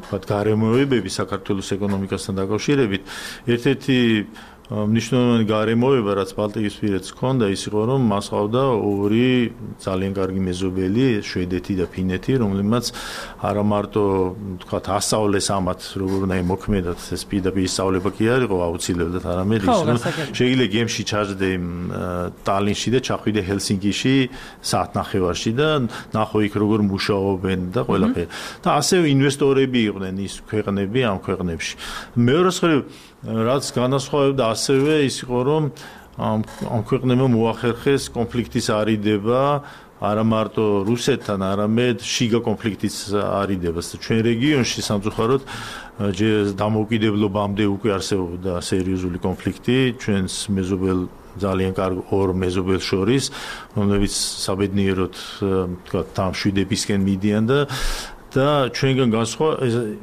B: თქვათ გარემოებები საქართველოს ეკონომიკასთან დაკავშირებით, ერთ-ერთი მნიშვნელოვანი გარემოება, რაც ბალტიისპირეთს ჰქონდა, ის იყო, რომ მას ჰყავდა ორი ძალიან კარგი მეზობელი, შვედეთი და ფინეთი, რომლებმაც არა მარტო თქვათ ასწავლეს ამათ, როგორ უნდა იმოქმედათ, ეს პირდაპირ სწავლება კი არ იყო აუცილებლად, არამედ ის, რომ შეიძლება გემში ჩაჯდე ტალინში და ჩახვიდე ჰელსინკიში საათნახევარში და ნახო იქ როგორ მუშაობენ და ყველაფერი. და ასევე ინვესტორები იყვნენ ის ქვეყნები ამ ქვეყნებში. მეორე მხრივ რაც განასხვავებდა ასევე ის იყო, რომ ამ ქვეყნებმა მოახერხეს კონფლიქტის არიდება არა მარტო რუსეთთან, არამედ შიგა კონფლიქტის არიდებას. ჩვენ რეგიონში სამწუხაროდ დამოუკიდებლობამდე უკვე არსებობდა სერიოზული კონფლიქტი ჩვენს მეზობელ ძალიან კარგ ორ მეზობელს შორის, რომლებიც საბედნიეროდ თქვათ დამშვიდებისკენ მიდიან და და ჩვენგან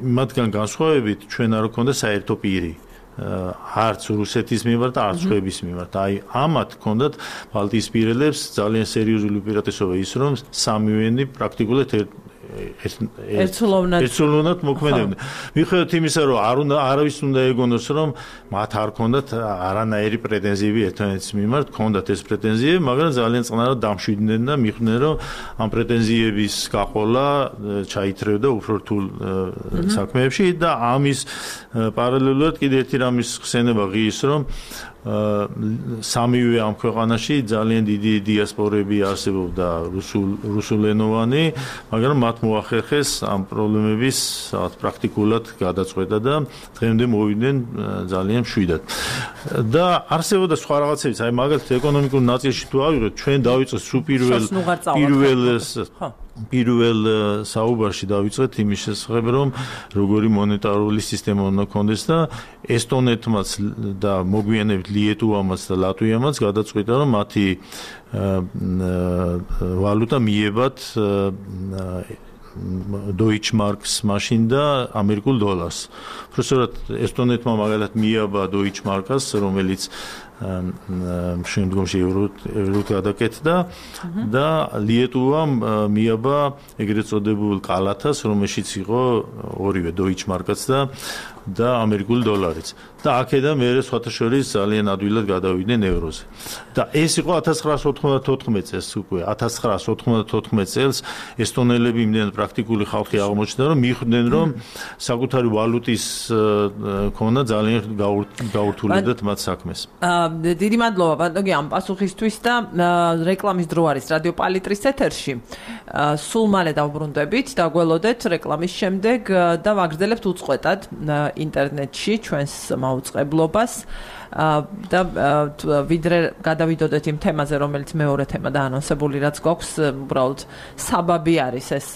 B: მათგან განსხვავებით ჩვენ არ გვქონდა საერთო პირი. არც რუსეთის მიმართ, არც შვედეთის მიმართ. აი, ამათ ჰქონდათ ბალტიისპირელებს ძალიან სერიოზული უპირატესობა ის, რომ სამივენი პრაქტიკულად ერთსულოვნად მოქმედებდნენ. მიუხედავად იმისა, რომ არ უნდა არავის უნდა ეგონოს, რომ მათ არ ჰქონდათ არანაირი პრეტენზიები ერთმანეთის მიმართ, ჰქონდათ ეს პრეტენზიები, მაგრამ ძალიან წყნარად დამშვიდნენ და მიხვდნენ, რომ ამ პრეტენზიების გაყოლა ჩაითრევდა უფრო რთულ საქმეებში და ამის პარალელურად კიდე ერთი რამის ხსენება ღირს, რომ სამივე ამ ქვეყანაში ძალიან დიდი დიასპორები არსებობდა რუსულ რუსულენოვანი, მაგრამ მათ მოახერხეს ამ პრობლემების პრაქტიკულად გადაწყვეტა და დღემდე მოვიდნენ ძალიან მშვიდად. და არსებობდა სხვა რაღაცებიც, აი მაგალითად ეკონომიკურ ნაწილში თუ ავიღოთ, ჩვენ დავიწყეთ სულ პირველ პირველ პირველ საუბარში დავიწყეთ იმის შესახებ, რომ როგორი მონეტარული სისტემა უნდა ქონდეს და ესტონეთმაც და მოგვიანებით ლიეტუვამაც და ლატვიამაც გადაწყვიტა, რომ მათი ვალუტა მიებათ Deutsche Marks მაშინ და ამერიკულ დოლარს. Უბრალოდ ესტონეთმა მაგალითად მიაბა Deutsche Marks, რომელიც შემდგომში ევროდ გადაკეთდა და ლიეტუვამ მიაბა ეგრეთ წოდებულ კალათას, რომელშიც იყო ორივე Deutsche Marks და და ამერიკული დოლარიც. და აქედან მერე სხვათა შორის ძალიან ადვილად გადავიდნენ ევროზე. და ეს იყო ათას ცხრაას ოთხმოცდათოთხმეტ წელს უკვე. ათას ცხრაას ოთხმოცდათოთხმეტ წელს ესტონელები იმდენად პრაქტიკული ხალხი აღმოჩნდა, რომ მიხვდნენ, რომ საკუთარი ვალუტის ქონა ძალიან გაურთულებდათ მათ საქმეს.
A: დიდი მადლობა ბატონო ამ პასუხისთვის და რეკლამის დრო არის რადიო პალიტრის ეთერში. სულ მალე დავბრუნდებით, დაგველოდეთ რეკლამის შემდეგ და ვაგრძელებთ უწყვეტად ინტერნეტში ჩვენს მაუწყებლობას და ვიდრე გადავიდოდეთ იმ თემაზე, რომელიც მეორე თემა დაანონსებული რაც გვაქვს, უბრალოდ საბაბი არის ეს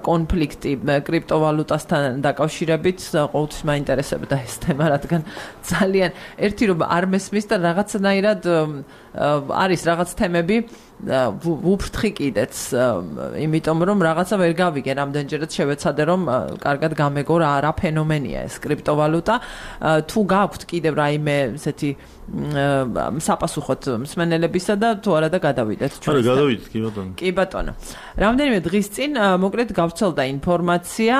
A: კონფლიქტი კრიპტოვალუტასთან დაკავშირებით, ყოველთვის მაინტერესებდა ეს თემა, რადგან ძალიან ერთი რომ არ მესმის და რაღაცნაირად არის რაღაც თემები ვუფრთხი კიდეც, იმიტომ რომ რაღაცა ვერ გავიგე, რამდენჯერაც შევეცადე რომ კარგად გამეგო რა რა ფენომენია ეს კრიპტოვალუტა. თუ გაქვთ კიდევ რაიმე ესეთი საპასუხოდ მსმენელებისა და თუ არა და გადავიდეთ
B: ჩვენ. არა, გადავიდეთ კი ბატონო.
A: კი ბატონო. რამდენიმე დღის წინ მოკლედ გავრცელდა ინფორმაცია,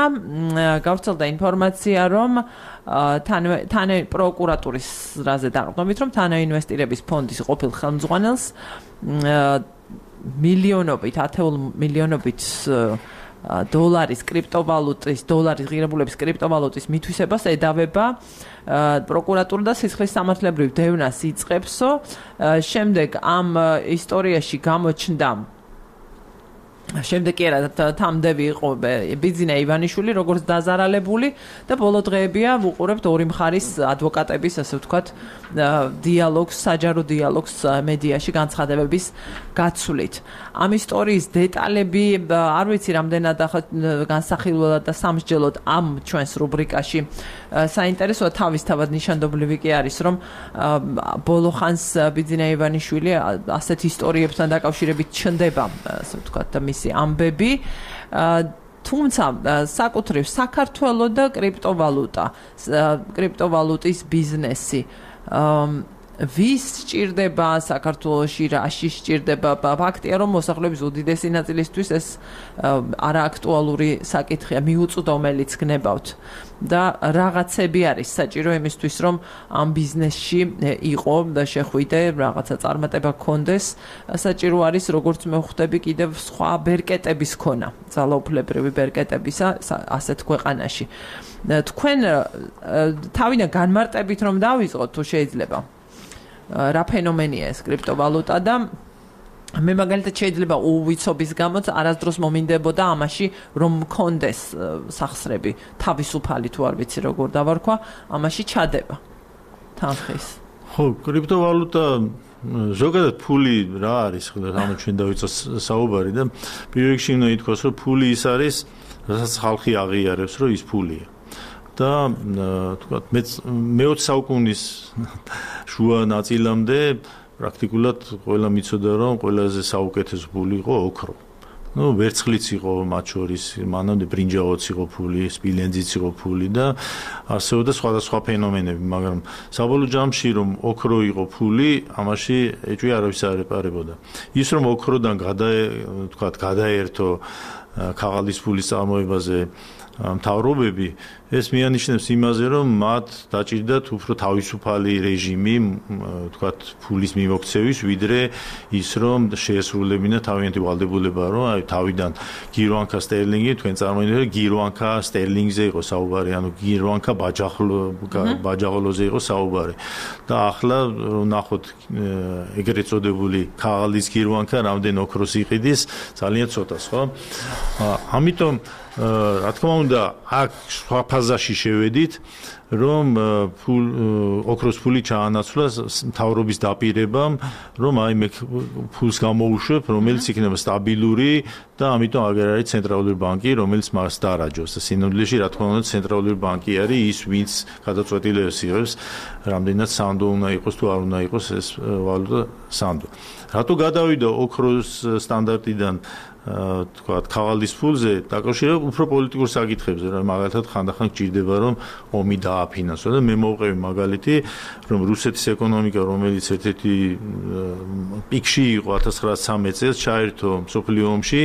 A: გავრცელდა ინფორმაცია, რომ თან პროკურატურის რაზე დაყრდნობით, რომ თანაინვესტირების ფონდის ყოფილ ხელმძღვანელს მილიონობით, ათეულ მილიონობით დოლარის კრიპტოვალუტის, დოლარის ღირებულების კრიპტოვალუტის მითვისებას ედავება პროკურატურა და სისხლის სამართლებრივ დევნას იწყებსო. შემდეგ ამ ისტორიაში გამოჩნდა შემდეგ კი არა თამდევი იყო ბიძინა ივანიშვილი როგორც დაზარალებული და ბოლო დღეებია ვუყურებთ ორი მხარის ადვოკატების ასე ვთქვათ დიალოგს, საჯარო დიალოგს მედიაში განცხადებების გაცვლით. ამ ისტორიის დეტალები არ ვიცი რამდენად განსახილველად და სამსჯელოდ ამ ჩვენს რუბრიკაში საინტერესოა, თავისთავად ნიშანდობლივი კი არის, რომ ბოლო ხანს ბიძინა ივანიშვილი ასეთ ისტორიებთან დაკავშირებით ჩნდება, ასე ვთქვათ და მისი ამბები, თუმცა საკუთრივ საქართველო და კრიპტოვალუტა, კრიპტოვალუტის ბიზნესი ვის სჭირდება საქართველოში, რაში სჭირდება? ფაქტია, რომ მოსახლეობის უდიდესი ნაწილისთვის ეს არააქტუალური საკითხია, მიუწვდომელიც გნებავთ და რაღაცები არის საჭირო იმისთვის, რომ ამ ბიზნესში იყო და შეხვიდე, რაღაცა წარმატება გქონდეს, საჭირო არის, როგორც მე ვხვდები, კიდევ სხვა ბერკეტების ქონა, ძალაუფლებრივი ბერკეტებისა ასეთ ქვეყანაში. თქვენ თავიდან განმარტებით რომ დავიწყოთ, თუ შეიძლება რა ფენომენია ეს კრიპტოვალუტა და მე მაგალითად შეიძლება უვიცობის გამოც არასდროს მომინდებოდა ამაში რომ მქონდეს სახსრები თავისუფალი თუ არ ვიცი როგორ დავარქვა ამაში ჩადება თანხის.
B: ხო, კრიპტოვალუტა ზოგადად ფული რა არის, რამე ჩვენ დავიწყოთ საუბარი და პირველ რიგში უნდა ითქვას, რომ ფული ის არის, რასაც ხალხი აღიარებს, რომ ის ფულია. და თქვათ მეოცე საუკუნის შუა ნაწილამდე პრაქტიკულად ყველა მიცოდა რომ ყველაზე საუკეთესო ფული იყო ოქრო. ნუ ვერცხლიც იყო მათ შორის, მანამდე ბრინჯაოც იყო ფული, სპილენძიც იყო ფული და არსებობდა სხვადასხვა ფენომენები, მაგრამ საბოლოო ჯამში რომ ოქრო იყო ფული, ამაში ეჭვი არავის არ ეპარებოდა. ის რომ ოქროდან გადა თქვათ გადაერთო ქაღალდის ფულის წარმოებაზე მთავრობები ეს მიანიშნებს იმაზე, რომ მათ დაჭირდათ უფრო თავისუფალი რეჟიმი, თქვათ, ფულის მიმოქცევის, ვიდრე ის, რომ შეესრულებინა თავიანთი ვალდებულება, რომ აი თავიდან გირვანქა სტერლინგი, თქვენ წარმოიდგინეთ, გირვანქა სტერლინგზე იყო საუბარი, ანუ გირვანქა ბაჯახლო ბაჯაღოლოზე იყო საუბარი. და ახლა ნახოთ ეგრეთ წოდებული ქაღალდის გირვანქა რამდენ ოქროს იყიდის, ძალიან ცოტას, ხო? ამიტომ რა თქმა უნდა, აქ სხვა ფაზაში შევედით, რომ ფულ ოქროს ფული ჩაანაცვლა მთავრობის დაპირებამ, რომ აი მე ფულს გამოუშვებ, რომელიც იქნება სტაბილური და ამიტომ აღარ არის ცენტრალური ბანკი, რომელიც მას დაარაჯოს. სინამდვილეში, რა თქმა უნდა, ცენტრალური ბანკი არის ის, ვინც გადაწყვეტილებას იღებს, რამდენად სანდო უნდა იყოს თუ არ უნდა იყოს ეს ვალუტა სანდო. რატო გადავიდა ოქროს სტანდარტიდან თქვათ, ქაღალდის ფულზე დაკავშირებით უფრო პოლიტიკურ საკითხებზე, რომ მაგალითად ხანდახან გჭირდება, რომ ომი დააფინანსო და მე მოვყევი მაგალითი, რომ რუსეთის ეკონომიკა, რომელიც ერთ-ერთი პიკში იყო ათას ცხრაასი წელს, ჩაერთო მსოფლიო ომში,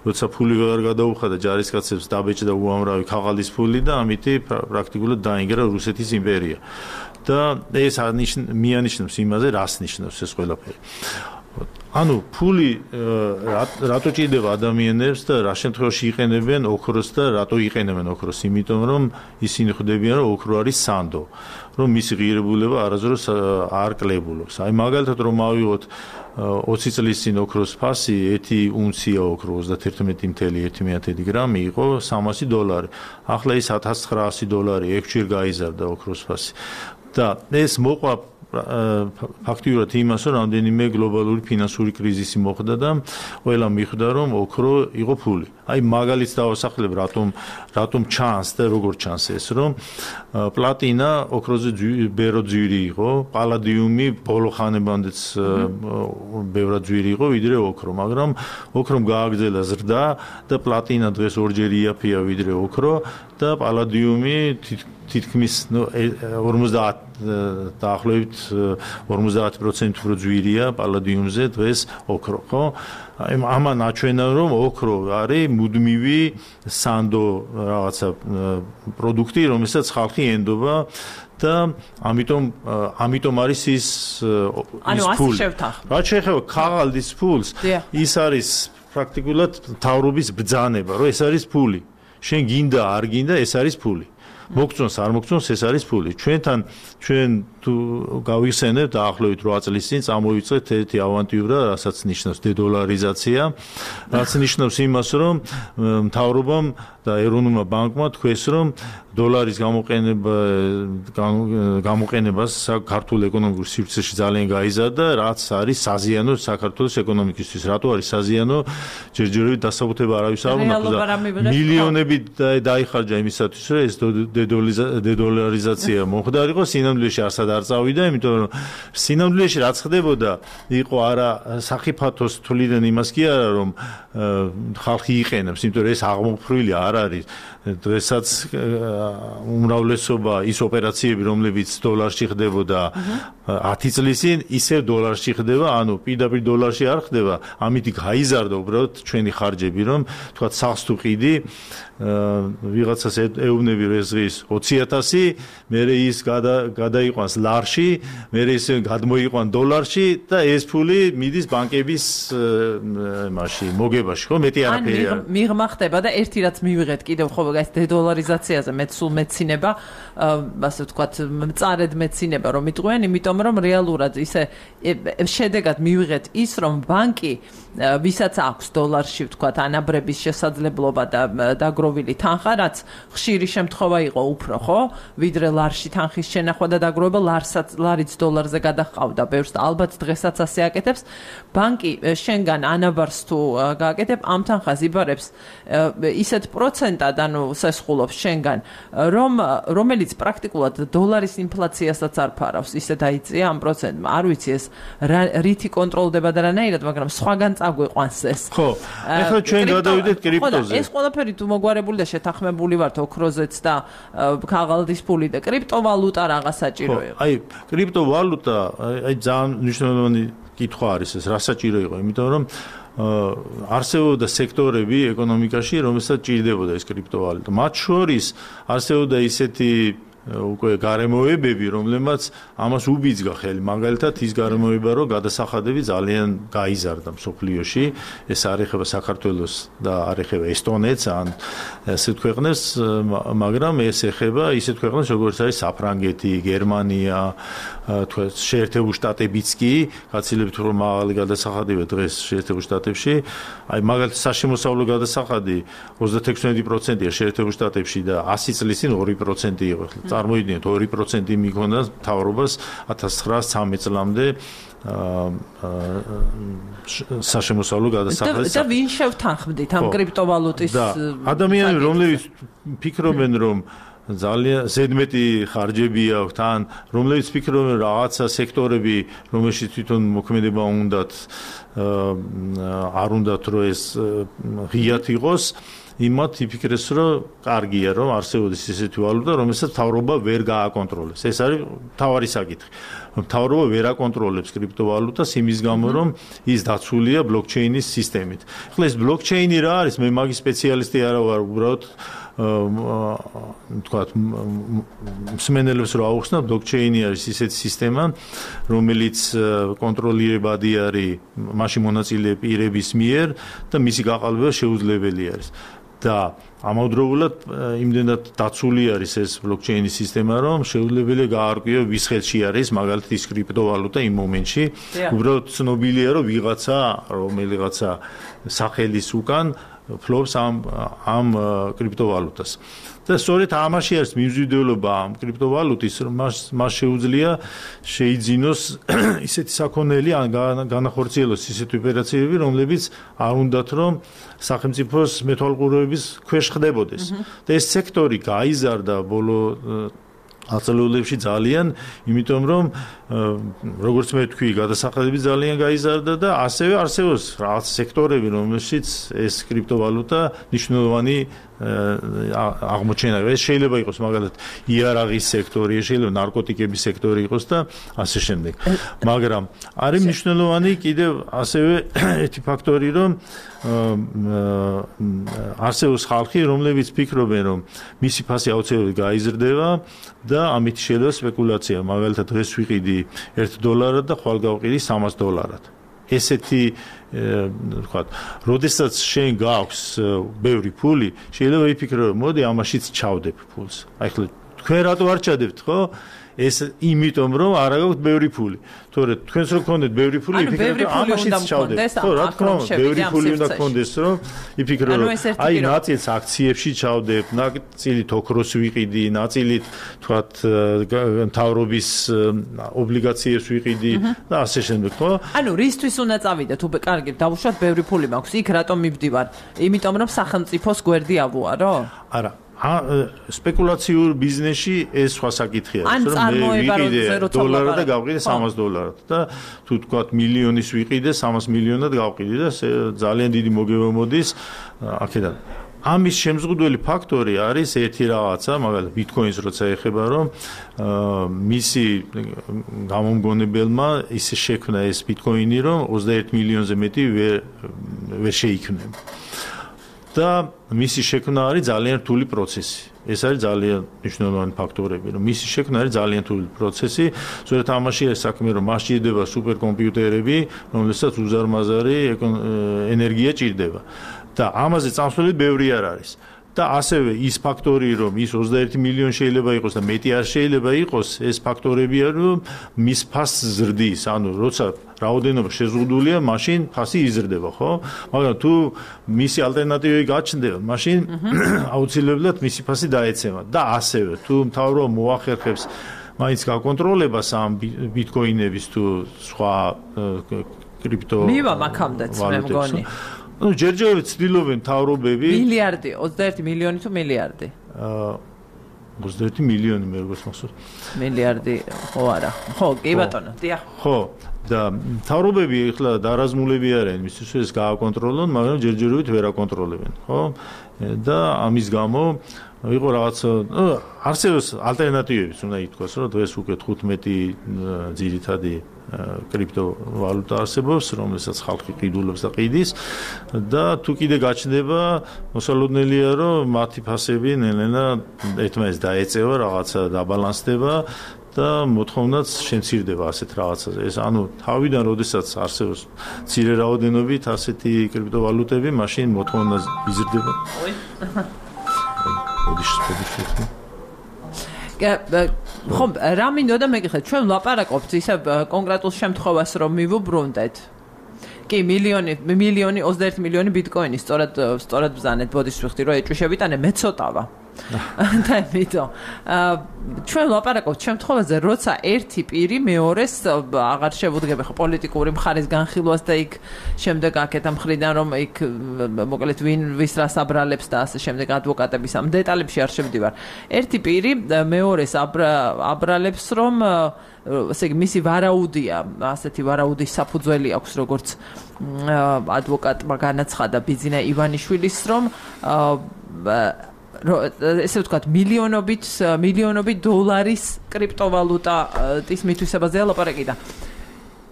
B: როცა ფული ვეღარ გადაუხადა ჯარისკაცებს, დაბეჭდა უამრავი ქაღალდის ფული და ამით პრაქტიკულად დაინგრა რუსეთის იმპერია. და ეს მიანიშნებს იმაზე, რას ნიშნავს ეს ყველაფერი. ანუ ფული რატო ჭირდება ადამიანებს და რა შემთხვევაში იყენებენ ოქროს და რატო იყენებენ ოქროს? იმიტომ რომ ისინი ხვდებიან, რომ ოქრო არის სანდო, რომ მისი ღირებულება არასდროს არ კლებულობს. აი მაგალითად რომ ავიღოთ ოცი წლის წინ ოქროს ფასი, ერთი უნცია ოქრო ოცდაათი წელი ერთი გრამი იყო სამასი დოლარი. ახლა ის ათას ცხრაასი დოლარი, ექვსჯერ გაიზარდა ოქროს ფასი. და ეს მოყვა ფაქტიურად იმას, რომ რამდენიმე გლობალური ფინანსური კრიზისი მოხდა და ყველა მიხვდა, რომ ოქრო იყო ფული. აი მაგალითს დავასახლებ, რატომ რატომ ჩანს და როგორ ჩანს ეს, რომ პლატინა ოქროზე ბერო ძვირი იყო, პალადიუმი ბოლო ხანებამდეც ბევრად ძვირი იყო, ვიდრე ოქრო, მაგრამ ოქრომ გააგრძელა ზრდა და პლატინა დღეს ორჯერ იაფია ვიდრე ოქრო და პალადიუმი თითქმის ორმოცდაათ დაახლოებით ორმოცდაათი პროცენტი უფრო ძვირია პალადიუმზე დღეს ოქრო, ხო? აი ამან აჩვენა, რომ ოქრო არის მუდმივი სანდო რაღაცა პროდუქტი, რომელსაც ხალხი ენდობა და ამიტომ ამიტომ არის ის ის ფული. რაც შეეხება ქაღალდის ფულს, ის არის პრაქტიკულად მთავრობის ბრძანება, რომ ეს არის ფული. შენ გინდა არ გინდა, ეს არის ფული. მოგწონს არ მოგწონს, ეს არის ფული. ჩვენთან ჩვენ თუ გავიხსენებთ დაახლოებით რვა წლის წინ წამოვიწყეთ ერთი ავანტიურა, რასაც ნიშნავს დედოლარიზაცია, რაც ნიშნავს იმას, რომ მთავრობამ და ეროვნულმა ბანკმა თქვეს, რომ დოლარის გამოყენება გამოყენებას საქართველოს ეკონომიკურ სივრცეში ძალიან გაიზარდა, რაც არის საზიანო საქართველოს ეკონომიკისთვის. რატო არის საზიანო? ჯერჯერობით დასაბუთება არავის არ უნდა და მილიონები დაიხარჯა იმისათვის, რომ ეს დედოლარიზაცია მოხდარიყო, სინამდვილეში არსად არ წავიდა, იმიტომ რომ სინამდვილეში რაც ხდებოდა, იყო არა სახიფათოს თვლიდან იმას კი არა, რომ ხალხი იყენებს, იმიტომ რომ ეს აღმოფრვილი არ არის. დღესაც უმრავლესობა ის ოპერაციები, რომლებიც დოლარში ხდებოდა ათი წლის წინ, ისევ დოლარში ხდება, ანუ პირდაპირ დოლარში არ ხდება, ამით გაიზარდა უბრალოდ ჩვენი ხარჯები, რომ თქვა სახლს თუ ყიდი, ვიღაცას ეუბნები რომ ეს დღის ოცი ათასი, მერე ის გადაიყვანს ლარში, მერე ის გადმოიყვან დოლარში და ეს ფული მიდის ბანკების მაშინ მოგებაში, ხო? მეტი არაფერი არ.
A: მიღმა ხდება და ერთი რაც მივიღეთ კიდევ ხო ეს დედოლარიზაციაზე მეც სულ მეცინება, ასე ვთქვათ, მწარედ მეცინება რომ იტყვიან, იმიტომ რომ რეალურად ისე შედეგად მივიღეთ ის, რომ ბანკი ვისაც აქვს დოლარში ვთქვათ ანაბრების შესაძლებლობა და დაგროვილი თანხა, რაც ხშირი შემთხვევა იყო უფრო, ხო? ვიდრე ლარში თანხის შენახვა და დაგროვება, ლარსაც ლარიც დოლარზე გადაჰყავდა ბევრს და ალბათ დღესაც ასე აკეთებს. ბანკი შენგან ანაბარს თუ გააკეთებ, ამ თანხას იბარებს ისეთ პროცენტად, ანუ სესხულობს შენგან, რომ რომელიც პრაქტიკულად დოლარის ინფლაციასაც არ ფარავს, ისე დაიწია ამ პროცენტმა. არ ვიცი ეს რითი კონტროლდება და რანაირად, მაგრამ სხვაგან წაგვიყვანს ეს.
B: ხო, ეხლა ჩვენ გადავიდეთ კრიპტოზე.
A: ეს ყველაფერი თუ მოგვარებული და შეთანხმებული ვართ ოქროზეც და ქაღალდის ფული და კრიპტოვალუტა რაღაც საჭირო იყო.
B: აი, კრიპტოვალუტა, აი ძალიან მნიშვნელოვანი კითხვა არის ეს, რა საჭირო იყო, იმიტომ რომ არსებობდა სექტორები ეკონომიკაში, რომელსაც ჭირდებოდა ეს კრიპტოვალუტა. მათ შორის არსებობდა ისეთი უკვე გარემოებები, რომლებმაც ამას უბიძგა ხელი. მაგალითად, ის გარემოება, რომ გადასახადები ძალიან გაიზარდა მსოფლიოში. ეს არ ეხება საქართველოს და არ ეხება ესტონეთს ან ასეთ ქვეყნებს, მაგრამ ეს ეხება ისეთ ქვეყნებს, როგორც არის საფრანგეთი, გერმანია, თქვა შეერთებული შტატებიც კი, გაცილებით უფრო მაღალი გადასახადებია დღეს შეერთებულ შტატებში. აი მაგალითად, საშემოსავლო გადასახადი ოცდაექვსი პროცენტია შეერთებულ შტატებში და ასი წლის წინ ორი პროცენტი იყო. წარმოიდგინეთ ორი პროცენტი მიქონდა მთავრობას ათას ცხრაასი ცხრამეტ წლამდე საშემოსავლო გადასახადის.
A: და ვინ შევთანხმდით ამ კრიპტოვალუტის
B: ადამიანები, რომლებიც ფიქრობენ, რომ ძალიან ზედმეტი ხარჯები აქვთ, ან რომლებიც ფიქრობენ რაღაცა სექტორები, რომელშიც თვითონ მოქმედება უნდათ არ უნდათ რომ ეს ღიად იყოს, იმათ იფიქრეს, რომ კარგია, რომ არსებობს ისეთი ვალუტა, რომელსაც მთავრობა ვერ გააკონტროლებს. ეს არის მთავარი საკითხი. მთავრობა ვერ აკონტროლებს კრიპტოვალუტას იმის გამო, რომ ის დაცულია ბლოკჩეინის სისტემით. ახლა ეს ბლოკჩეინი რა არის? მე მაგის სპეციალისტი არა ვარ, უბრალოდ თქვათ მსმენელებს რო აუხსნა, ბლოკჩეინი არის ისეთი სისტემა, რომელიც კონტროლირებადი არის მასში მონაწილე პირების მიერ და მისი გაყალბება შეუძლებელი არის. და ამავდროულად იმდენად დაცული არის ეს ბლოკჩეინის სისტემა, რომ შეუძლებელია გაარკვიო ვის ხელში არის მაგალითად ის კრიპტოვალუტა იმ მომენტში. უბრალოდ ცნობილია, რომ ვიღაცა, რომელიღაცა სახელის უკან ფლობს ამ ამ კრიპტოვალუტას. და სწორედ ამაში არის მიმზიდველობა ამ კრიპტოვალუტის, რომ მას მას შეუძლია შეიძინოს ისეთი საქონელი ან განახორციელოს ისეთი ოპერაციები, რომლებიც არ უნდათ რომ სახელმწიფოს მეთვალყურეობის ქვეშ ხდებოდეს. და ეს სექტორი გაიზარდა ბოლო აწლეულებში ძალიან, იმიტომ რომ როგორც მე თქვი, გადასახადები ძალიან გაიზარდა და ასევე არსებობს რაღაც სექტორები, რომელშიც ეს კრიპტოვალუტა მნიშვნელოვანი აღმოჩენა. ეს შეიძლება იყოს მაგალითად იარაღის სექტორი, შეიძლება ნარკოტიკების სექტორი იყოს და ასე შემდეგ. მაგრამ არის მნიშვნელოვანი კიდევ ასევე ერთი ფაქტორი, რომ არსებობს ხალხი, რომლებიც ფიქრობენ, რომ მისი ფასი აუცილებლად გაიზრდება და ამით შეიძლება სპეკულაცია. მაგალითად დღეს ვიყიდი ერთ დოლარად და ხვალ გავყიდი სამას დოლარად. ესეთი ვთქვათ, როდესაც შენ გაქვს ბევრი ფული, შეიძლება იფიქრო, რომ მოდი ამაშიც ჩავდებ ფულს. აი ხლა თქვენ რატო არ ჩადებთ, ხო? ეს იმიტომ რომ არ გაქვთ ბევრი ფული. თორე თქვენს რო გქონდეთ ბევრი ფული, იფიქრეთ რომ ამაშიც ჩავდეთ. ხო, რა თქმა უნდა, ბევრი ფული უნდა გქონდეს, რომ იფიქრო რომ აი ნაწილს აქციებში ჩავდებ, ნაწილით ოქროს ვიყიდი, ნაწილით თქვათ მთავრობის ობლიგაციებს ვიყიდი და ასე შემდეგ, ხო?
A: ანუ რისთვის უნდა წავიდეთ? უბე კარგი, დავუშვათ ბევრი ფული მაქვს. იქ რატომ მივდივარ? იმიტომ რომ სახელმწიფოს გვერდი ავუარო?
B: არა. სპეკულაციურ ბიზნესში ეს სხვა საკითხია,
A: რომ მე ვიყიდე
B: დოლარად და გავყიდე სამას დოლარად და თუ თქვათ მილიონის ვიყიდე სამას მილიონად გავყიდე და ძალიან დიდი მოგება მოდის აქედან. ამის შემზღუდველი ფაქტორი არის ერთი რაღაცა, მაგალითად ბიტკოინს როცა ეხება, რომ მისი გამომგონებელმა ისე შექმნა ეს ბიტკოინი, რომ ოცდაერთ მილიონზე მეტი ვერ შეიქმნება. და მისი შექმნა არის ძალიან რთული პროცესი. ეს არის ძალიან მნიშვნელოვანი ფაქტორები, რომ მისი შექმნა არის ძალიან რთული პროცესი. სწორედ ამაში არის საქმე, რომ მას ჭირდება სუპერკომპიუტერები, რომელსაც უზარმაზარი ენერგია ჭირდება. და ამაზე წამსვლელი ბევრი არ არის. და ასევე ის ფაქტორი, რომ ის ოცდაერთი მილიონი შეიძლება იყოს და მეტი არ შეიძლება იყოს, ეს ფაქტორებია, რომ მის ფასს ზრდის. ანუ როცა რაოდენობა შეზღუდულია, მაშინ ფასი იზრდება, ხო? მაგრამ თუ მისი ალტერნატივები გაჩნდება, მაშინ აუცილებლად მისი ფასი დაეცემა. და ასევე თუ მთავრობა მოახერხებს მაინც გაკონტროლებას ამ ბიტკოინების თუ სხვა კრიპტო
A: მივა მაქამდეც მე მგონი.
B: ну ჯერჯერობით ცდილობენ მთავრობები
A: მილიარდი ოცდაერთი მილიონი თუ მილიარდი
B: აა ოცდაერთი მილიონი მე როგორც მახსოვს
A: მილიარდი ხო არა ხო კი ბატონო დიახ
B: ხო და მთავრობები ახლა დარაზმულები არიან მისთვის ეს გააკონტროლონ მაგრამ ჯერჯერობით ვერ აკონტროლებენ ხო და ამის გამო იყო რაღაც არსებობს ალტერნატივებიც უნდა ითქვას, რომ დღეს უკვე თხუთმეტი ძირითადი კრიპტოვალუტა არსებობს, რომელსაც ხალხი ყიდულობს და ყიდის და თუ კიდე გაჩნდება, მოსალოდნელია, რომ მათი ფასები ნელ-ნელა ერთმანეთს დაეწევა, რაღაცა დაბალანსდება და მოთხოვნაც შემცირდება ასეთ რაღაცაზე. ეს ანუ თავიდან როდესაც არსებობს მცირე რაოდენობით ასეთი კრიპტოვალუტები, მაშინ მოთხოვნა იზრდება.
A: ხომ რა მინდოდა მეკითხეთ, ჩვენ ვლაპარაკობთ ისე კონკრეტულ შემთხვევას რომ მივუბრუნდეთ. კი, მილიონი, მილიონი, ოცდაერთი მილიონი ბიტკოინი, სწორად სწორად ბზანეთ, ბოდიშ ვიხდი, რომ ეჭვი შევიტანე, მე ცოტავა. და მითო ჩვენ ვლაპარაკობთ შემთხვევაზე, როცა ერთი პირი მეორეს აღარ შევუდგება ხო პოლიტიკური მხარის განხილვას და იქ შემდეგ აქეთ ამ მხრიდან რომ იქ მოკლედ ვინ ვის რას აბრალებს და ასე შემდეგ ადვოკატების ამ დეტალებში არ შევდივარ. ერთი პირი მეორეს აბრალებს რომ ესე იგი მისი ვარაუდია, ასეთი ვარაუდის საფუძველი აქვს როგორც ადვოკატმა განაცხადა ბიძინა ივანიშვილის რომ ესე ვთქვათ მილიონობით მილიონობით დოლარის კრიპტოვალუტის მითვისებაზეა ლაპარაკი და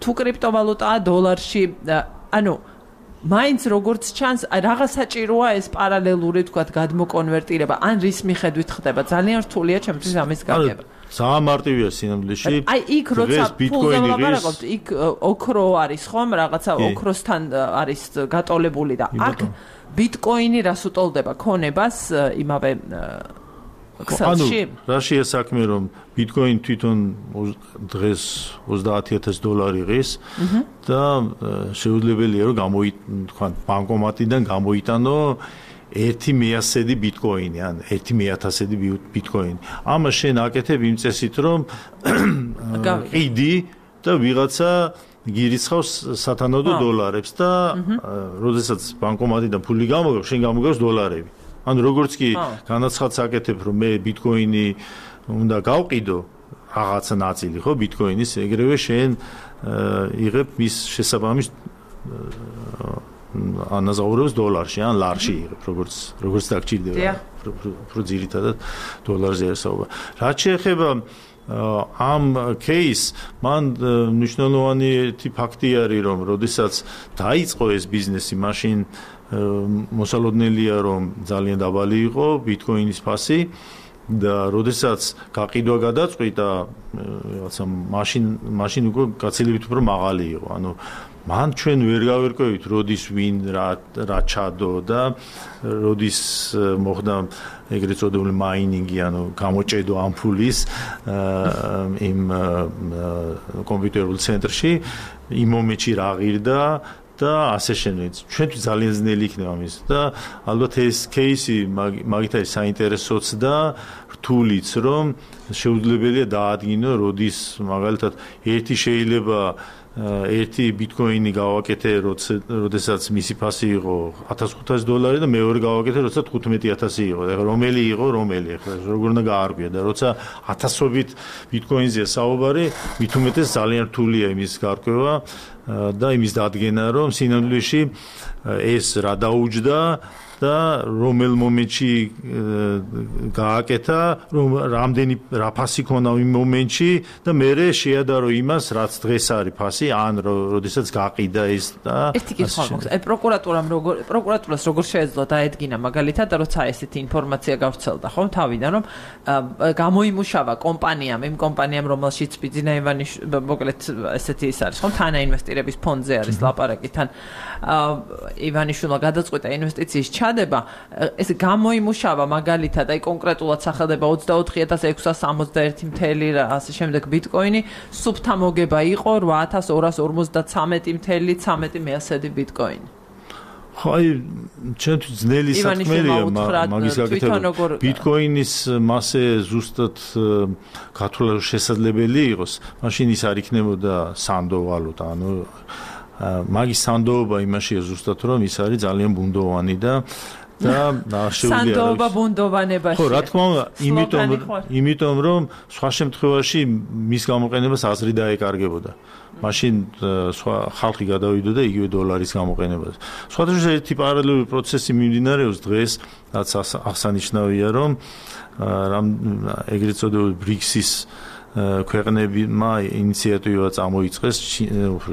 A: თუ კრიპტოვალუტაა დოლარში ანუ მაინც როგორც ჩანს რაღაც საჭიროა ეს პარალელური ვთქვათ გადმოკონვერტირება ან რის მიხედვით ხდება ძალიან რთულია ჩემთვის ამის გაგება
B: ძალიან მარტივია სინამდვილეში
A: აი იქ როცა ბიტკოინი ლაპარაკობთ იქ ოქრო არის ხომ რაღაცა ოქროსთან არის გატოლებული და აქ ბიტკოინი რას უტოლდება ქონებას იმავე ქსელში?
B: რაშია საქმე რომ ბიტკოინი თვითონ დღეს ოცდაათი ათასი დოლარი ღირს და შეუძლებელია რომ გამოიტანო ბანკომატიდან გამოიტანო ერთი მეათასედი ბიტკოინი ან ერთი მეათასედი ბიტკოინი. ამას შენ აკეთებ იმ წესით რომ ყიდი და ვიღაცა გირიცხავს სათანადო დოლარებს და როდესაც ბანკომატიდან ფული გამოგავს, შენ გამოგავს დოლარები. ანუ როგორც კი განაცხადს აკეთებ, რომ მე ბიტკოინი უნდა გავყიდო რაღაცა ნაწილი, ხო, ბიტკოინის, ეგრევე შენ იღებ მის შესაბამის ანაზაურებს დოლარში, ან ლარში იღებ, როგორც როგორც დაგჭირდება. უფრო ძირითადად დოლარზე ასაუბრა. რაც შეეხება ამ кейს მან მნიშვნელოვანი ერთი ფაქტი არის რომ როდესაც დაიწყო ეს ბიზნესი მაშინ მოსალოდნელია რომ ძალიან დაბალი იყო ბიტკოინის ფასი და როდესაც გაყიდვა გადაწყვიტა რაღაცა მაშინ მაშინ უკვე გაცილებით უფრო მაღალი იყო ანუ მან ჩვენ ვერ გავერკვევით როდის ვინ რა რა ჩადო და როდის მოხდა ეგრეთ წოდებული მაინინგი ანუ გამოჭედო ამ ფულის იმ კომპიუტერულ ცენტრში იმ მომენტში რა ღირდა და ასე შემდეგ. ჩვენთვის ძალიან ძნელი იქნება ამის და ალბათ ეს кейსი მაგით არის საინტერესოც და რთულიც რომ შეუძლებელია დაადგინო როდის მაგალითად ერთი შეიძლება ერთი ბიტკოინი გავაკეთე, როდესაც მისი ფასი იყო ათას ხუთასი დოლარი და მეორე გავაკეთე, როცა თხუთმეტი ათასი იყო. ეხლა რომელი იყო, რომელი ეხლა როგორ უნდა გაარკვია და როცა ათასობით ბიტკოინზეა საუბარი, მით უმეტეს ძალიან რთულია იმის გარკვევა და იმის დადგენა, რომ სინამდვილეში ეს რა დაუჯდა და რომელ მომენტში გააკეთა, რომ რამდენი რა ფასი ქონა იმ მომენტში და მე შეადარო იმას, რაც დღეს არის ფასი, ან როდესაც გაყიდა ეს და
A: ერთი კითხვა მაქვს. აი პროკურატურამ როგორ პროკურატურას როგორ შეეძლო დაედგინა მაგალითად, როცა ესეთი ინფორმაცია გავრცელდა, ხო, თავიდან რომ გამოიმუშავა კომპანიამ, იმ კომპანიამ, რომელშიც ბიძინა ივანიშვილი, მოკლედ ესეთი ის არის, ხო, თანაინვესტირების ფონდზე არის ლაპარაკი, თან ივანიშვილმა გადაწყვიტა ინვესტიციის ჩადება, ეს გამოიმუშავა მაგალითად, აი კონკრეტულად სახელდება ოცდაოთხი ათას ექვსას სამოცდაერთი მთელი ასე შემდეგ ბიტკოინი, სუფთა მოგება იყო რვა ათას ორას ორმოცდათვრამეტი მთელი ცამეტი მეათასედი ბიტკოინი.
B: ხო, აი, ჩვენთვის ძნელი საქმეა მაგის გაკეთება. ბიტკოინის მასე ზუსტად გათვლა შესაძლებელი იყოს, მაშინ ის არ იქნებოდა სანდო ვალუტა, ანუ მაგის სანდოობა იმაშია ზუსტად რომ ის არის ძალიან ბუნდოვანი და და ნაშეული
A: არის. სანდოობა ბუნდოვანებაში.
B: ხო, რა თქმა უნდა, იმიტომ იმიტომ რომ სხვა შემთხვევაში მის გამოყენებას აზრი დაეკარგებოდა. მაშინ სხვა ხალხი გადავიდოდა იგივე დოლარის გამოყენებას. სხვადასხვა ერთი პარალელური პროცესი მიმდინარეობს დღეს, რაც აღსანიშნავია, რომ რამ ეგრეთ წოდებული ბრიქსის ქვეყნებმა ინიციატივა წამოიწყეს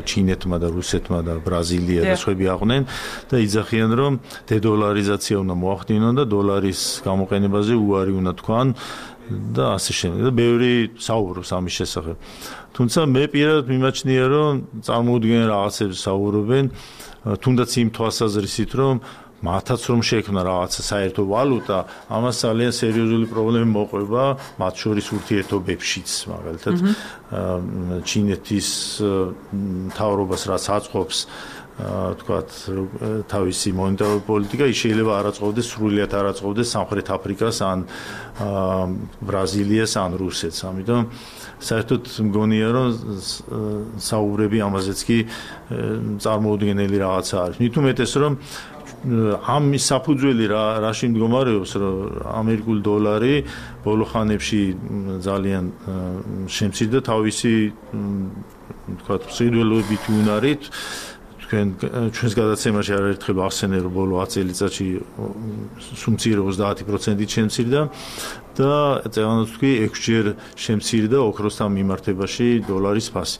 B: ჩინეთმა და რუსეთმა და ბრაზილია და სხვები აყვნენ და იძახიან რომ დედოლარიზაცია უნდა მოახდინონ და დოლარის გამოყენებაზე უარი უნდა თქვან და ასე შემდეგ და ბევრი საუბრობს ამის შესახებ. თუმცა მე პირადად მიმაჩნია რომ წარმოუდგენელ რაღაცებს საუბრობენ თუნდაც იმ თვალსაზრისით რომ მათაც რომ შექმნა რაღაცა საერთო ვალუტა, ამას ძალიან სერიოზული პრობლემა მოყვება, მათ შორის ურთიერთობებშიც, მაგალითად, ჩინეთის მთავრობას რაც აწყობს, თქვათ, თავისი მონეტარული პოლიტიკა, ის შეიძლება არ აწყობდეს, სრულიად არ აწყობდეს სამხრეთ აფრიკას ან ბრაზილიას ან რუსეთს. ამიტომ საერთოდ მგონია რომ საუბრები ამაზეც კი წარმოუდგენელი რაღაცა არის. მით უმეტეს რომ ამის საფუძველი რა რაში მდგომარეობს რომ ამერიკული დოლარი ბოლო ხანებში ძალიან შემცირდა თავისი თქვათ სიძველოებითი უნარით თქვენ ჩვენს გადაცემაში არაერთხელ ახსენე რომ ბოლო ათი წელიწადში სუმცირე ოცდაათი პროცენტით შემცირდა და წელს თქვი ექვსჯერ შემცირდა ოქროსთან მიმართებაში დოლარის ფასი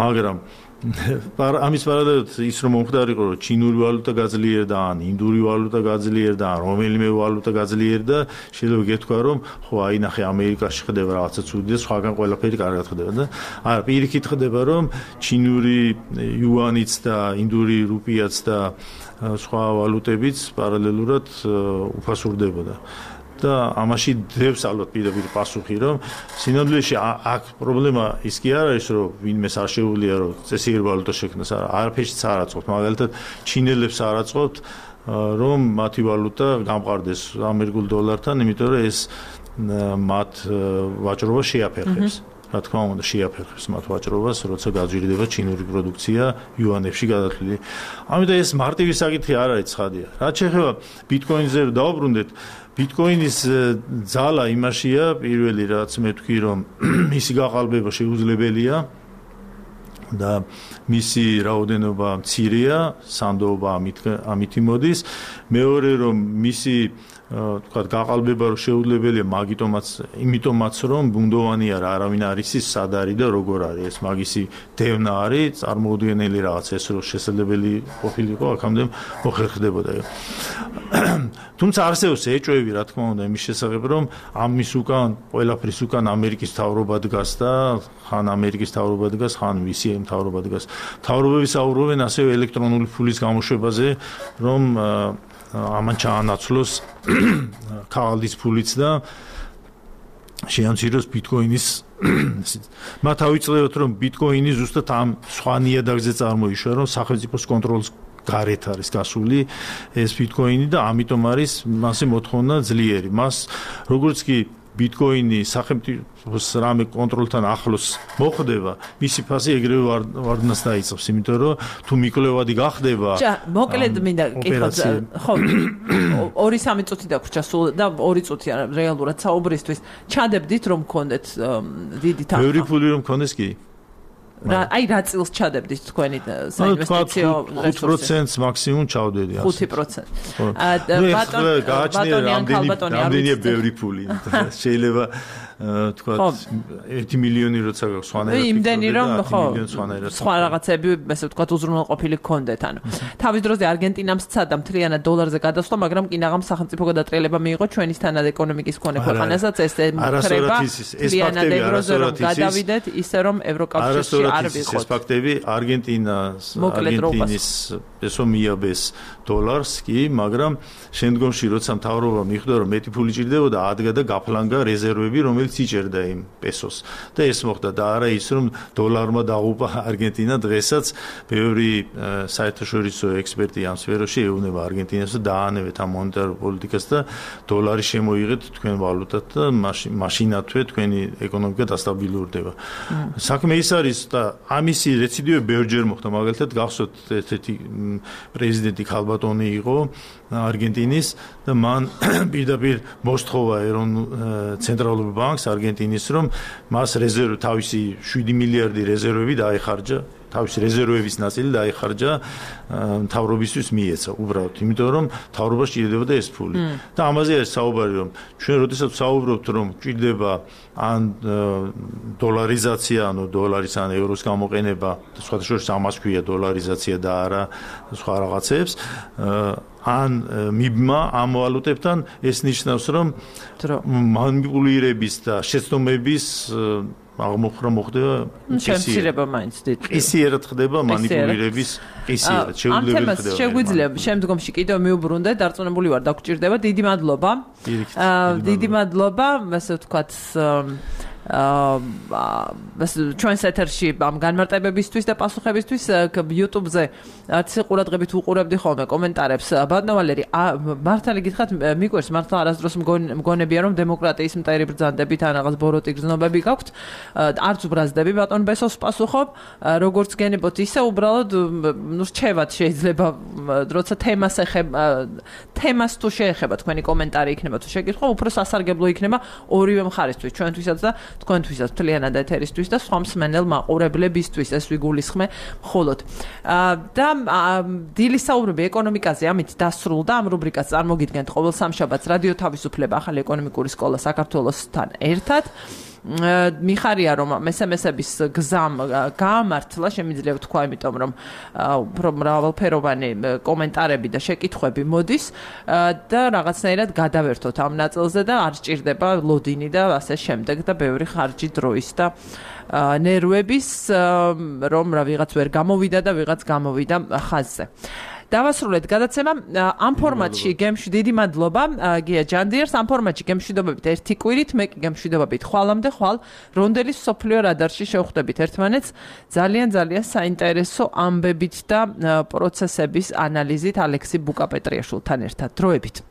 B: მაგრამ ამის პარალელურად ის რომ მომხდარიყო რომ ჩინური ვალუტა გაძლიერდა ან ინდური ვალუტა გაძლიერდა ან რომელიმე ვალუტა გაძლიერდა შეიძლება გეთქვა რომ ხო აი ნახე ამერიკაში ხდება რაღაცა ცუდი და სხვაგან ყველაფერი კარგად ხდება და არა პირიქით ხდება რომ ჩინური იუანიც და ინდური რუპიაც და სხვა ვალუტებიც პარალელურად უფასურდებოდა და ამაში დევს ალბათ პირდაპირ პასუხი რომ სინამდვილეში აქ პრობლემა ის კი არ არის რომ ვინმეს არ შეუძლია რომ წესიერ ვალუტა შექმნას არაფერშიც არ აწყობთ მაგალითად ჩინელებს არ აწყობთ რომ მათი ვალუტა გამყარდეს ამერიკულ დოლართან იმიტომ რომ ეს მათ ვაჭრობა შეაფერხებს რა თქმა უნდა შეაფერხებს მათ ვაჭრობას როცა გაძვირდება ჩინური პროდუქცია იუანებში გადათვლილი ამიტომ ეს მარტივი საკითხი არ არის ცხადია რაც შეეხება ბიტკოინზე დავუბრუნდეთ ბიტკოინის ძალა იმაშია პირველი რაც მე ვთქვი რომ მისი გაყალბება შეუძლებელია და მისი რაოდენობა მცირეა სანდოობა ამით ამითი მოდის მეორე რომ მისი თქვა გაყალბება რომ შეუძლებელია მაგიტომაც იმიტომაც რომ ბუნდოვანია რა არავინ არის ის სად არის და როგორ არის ეს მაგისი დევნა არის წარმოუდგენელი რაღაც ეს რომ შესაძლებელი ყოფილიყო აქამდე მოხერხდებოდა თუმცა არსებობს ეჭვები რა თქმა უნდა იმის შესახებ რომ ამის უკან ყველაფრის უკან ამერიკის მთავრობა დგას და ხან ამერიკის მთავრობა დგას ხან მისი მთავრობა დგას მთავრობები საუბრობენ ასევე ელექტრონული ფულის გამოშვებაზე რომ ამან ჩაანაცვლოს ქაღალდის ფულიც და შეამციროს ბიტკოინის მათ ავიწყდებათ რომ ბიტკოინი ზუსტად ამ სხვა ნიადაგზე წარმოიშვა რომ სახელმწიფოს კონტროლის გარეთ არის გასული ეს ბიტკოინი და ამიტომ არის მასე მოთხოვნა ძლიერი მას როგორც კი ბიტკოინი სახელმწიფოს რამე კონტროლთან ახლოს მოხდება, მისი ფასი ეგრევე ვარდნას დაიწყებს, იმიტომ რომ თუ მიკვლევადი გახდება.
A: ჯა, მოკლედ მინდა კითხოთ, ხო, ორი სამი წუთი დაგვრჩა სულ და ორი წუთი რეალურად საუბრისთვის. ჩადებდით რომ გქონდეთ დიდი თანხა.
B: ბევრი ფული რომ გქონდეს კი.
A: რა აი რა წილს ჩადებდით თქვენი საინვესტიციო
B: ხუთ პროცენტს მაქსიმუმ ჩავდედი ასე.
A: ხუთი პროცენტი.
B: ბატონი ამდენია ბევრი ფული. შეიძლება თქვა ერთი მილიონი როცა სხვანაირად
A: იმდენი რომ ხო სხვა რაღაცები ესე ვთქვათ უზრუნველყოფილი გქონდეთ ანუ თავის დროზე არგენტინამ სცადა მთლიანად დოლარზე გადასვლა მაგრამ კინაღამ სახელმწიფო გადატრიალება მიიღო ჩვენის თანად ეკონომიკის მქონე ქვეყანასაც ეს ემხრება მთლიანად ევროზე რომ გადავიდეთ ისე რომ ევროკავშირში არ ვიყოთ
B: ეს ფაქტები არგენტინას არგენტინის პესო მიაბეს დოლარს კი მაგრამ შემდგომში როცა მთავრობა მიხვდა რომ მეტი ფული ჭირდებოდა ადგა და გაფლანგა რეზერვები რომელიც რომელიც იჭერდა იმ პესოს და ეს მოხდა და არა ის რომ დოლარმა დაღუპა არგენტინა დღესაც ბევრი საერთაშორისო ექსპერტი ამ სფეროში ეუბნება არგენტინას და დაანებეთ ამ მონეტარ პოლიტიკას და დოლარი შემოიღეთ თქვენ ვალუტად და მაშინათვე თქვენი ეკონომიკა დასტაბილურდება. საქმე ის არის და ამისი რეციდივი ბევრჯერ მოხდა მაგალითად გახსოვთ ერთ-ერთი პრეზიდენტი ქალბატონი იყო არგენტინის და მან პირდაპირ მოსთხოვა ეროვნულ ცენტრალურ ბანკს არგენტინის რომ მას რეზერვი თავისი შვიდი მილიარდი რეზერვები დაეხარჯა თავისი რეზერვების ნაწილი დაიხარჯა მთავრობისთვის მიეცა უბრალოდ იმიტომ რომ მთავრობას ჭირდებოდა ეს ფული და ამაზე არის საუბარი რომ ჩვენ როდესაც საუბრობთ რომ ჭირდება ან დოლარიზაცია ანუ დოლარის ან ევროს გამოყენება სხვათა შორის ამას ქვია დოლარიზაცია და არა სხვა რაღაცებს ან მიბმა ამ ვალუტებთან ეს ნიშნავს რომ მანიპულირების და შეცდომების აღმოფხვრა მოხდება
A: შემცირება მაინც დიდ
B: ისიერად ხდება მანიპულირების ისიერად შეუძლებელი ხდება
A: შეგვიძლია შემდგომში კიდევ მიუბრუნდეთ დარწმუნებული ვარ დაგჭირდება დიდი მადლობა დიდი მადლობა ასე ვთქვათ აა ჩვენს ეთერში ამ განმარტებებისთვის და პასუხებისთვის YouTube-ზე არც ყურადღებით უყურებდი ხოლმე კომენტარებს ბატონო ვალერი მართალი გითხრათ მიყვარს მართლა არასდროს მგონებია რომ დემოკრატიის მტერი ბრძანდებით ან რაღაც ბოროტი გზნობები გაქვთ არც უბრაზდები ბატონ ბესოს პასუხობ როგორც გენებოთ ისე უბრალოდ ნუ რჩევათ შეიძლება როცა თემას ეხება თემას თუ შეეხება თქვენი კომენტარი იქნება თუ შეკითხვა უფრო სასარგებლო იქნება ორივე მხარისთვის ჩვენთვისაც და თქვენთვისაც მთლიანად ეთერისთვის და სხვა მსმენელ მაყურებლებისთვის ეს ვიგულისხმე მხოლოდ და დილის საუბრები ეკონომიკაზე ამით დასრულდა ამ რუბრიკას წარმოგიდგენთ ყოველ სამშაბათს რადიო თავისუფლება ახალი ეკონომიკური სკოლა საქართველოსთან ერთად მიხარია რომ მესამესების გზამ გაამართლა შემიძლია ვთქვა იმიტომ რომ უფრო მრავალფეროვანი კომენტარები და შეკითხვები მოდის და რაღაცნაირად გადავერთოთ ამ ნაწილზე და არ სჭირდება ლოდინი და ასე შემდეგ და ბევრი ხარჯი დროის და ნერვების რომ რა ვიღაც ვერ გამოვიდა და ვიღაც გამოვიდა ხაზზე დავასრულეთ გადაცემა ამ ფორმატში გემშვიდობებით დიდი მადლობა გია ჯანდიერს ამ ფორმატში გემშვიდობებით ერთი კვირით მე კი გემშვიდობებით ხვალამდე ხვალ რონდელის სოფლიო რადარში შევხვდებით ერთმანეთს ძალიან ძალიან საინტერესო ამბებით და პროცესების ანალიზით ალექსი ბუკაპეტრიაშვილთან ერთად დროებით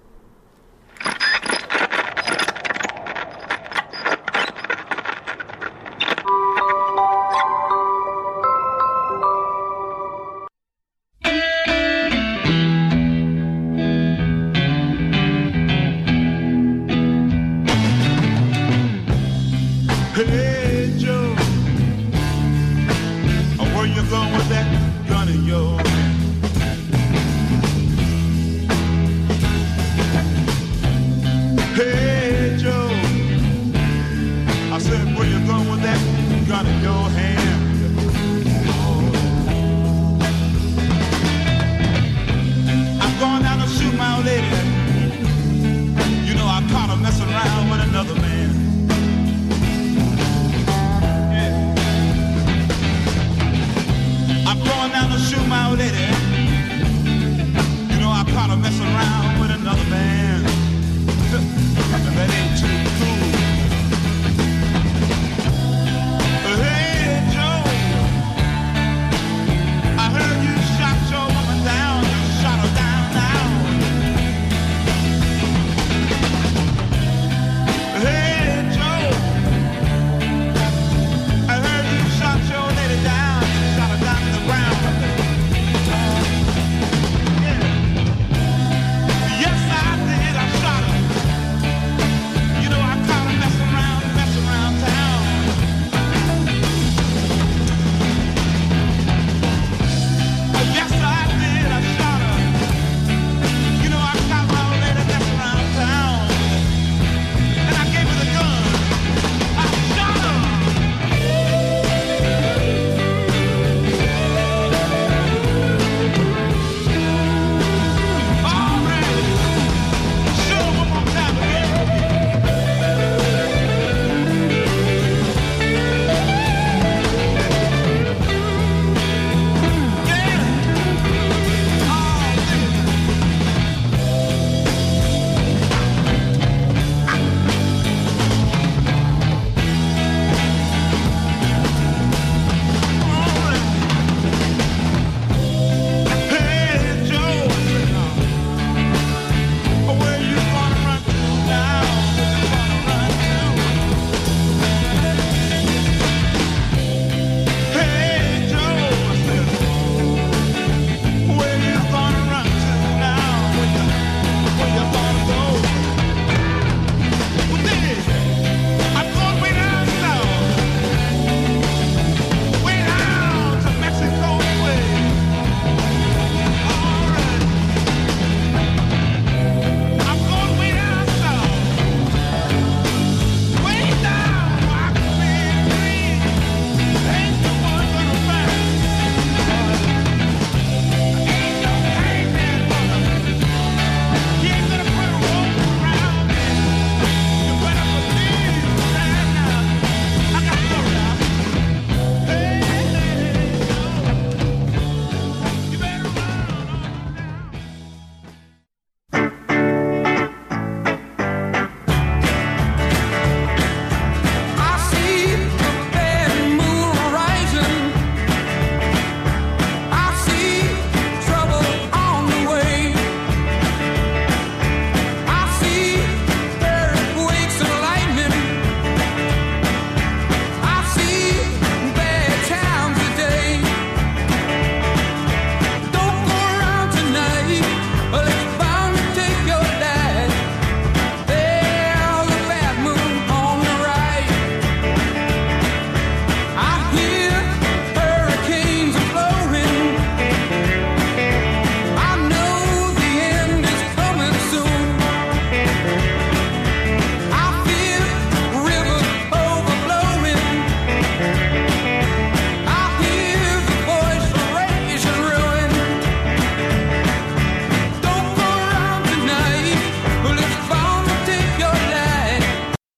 C: Hey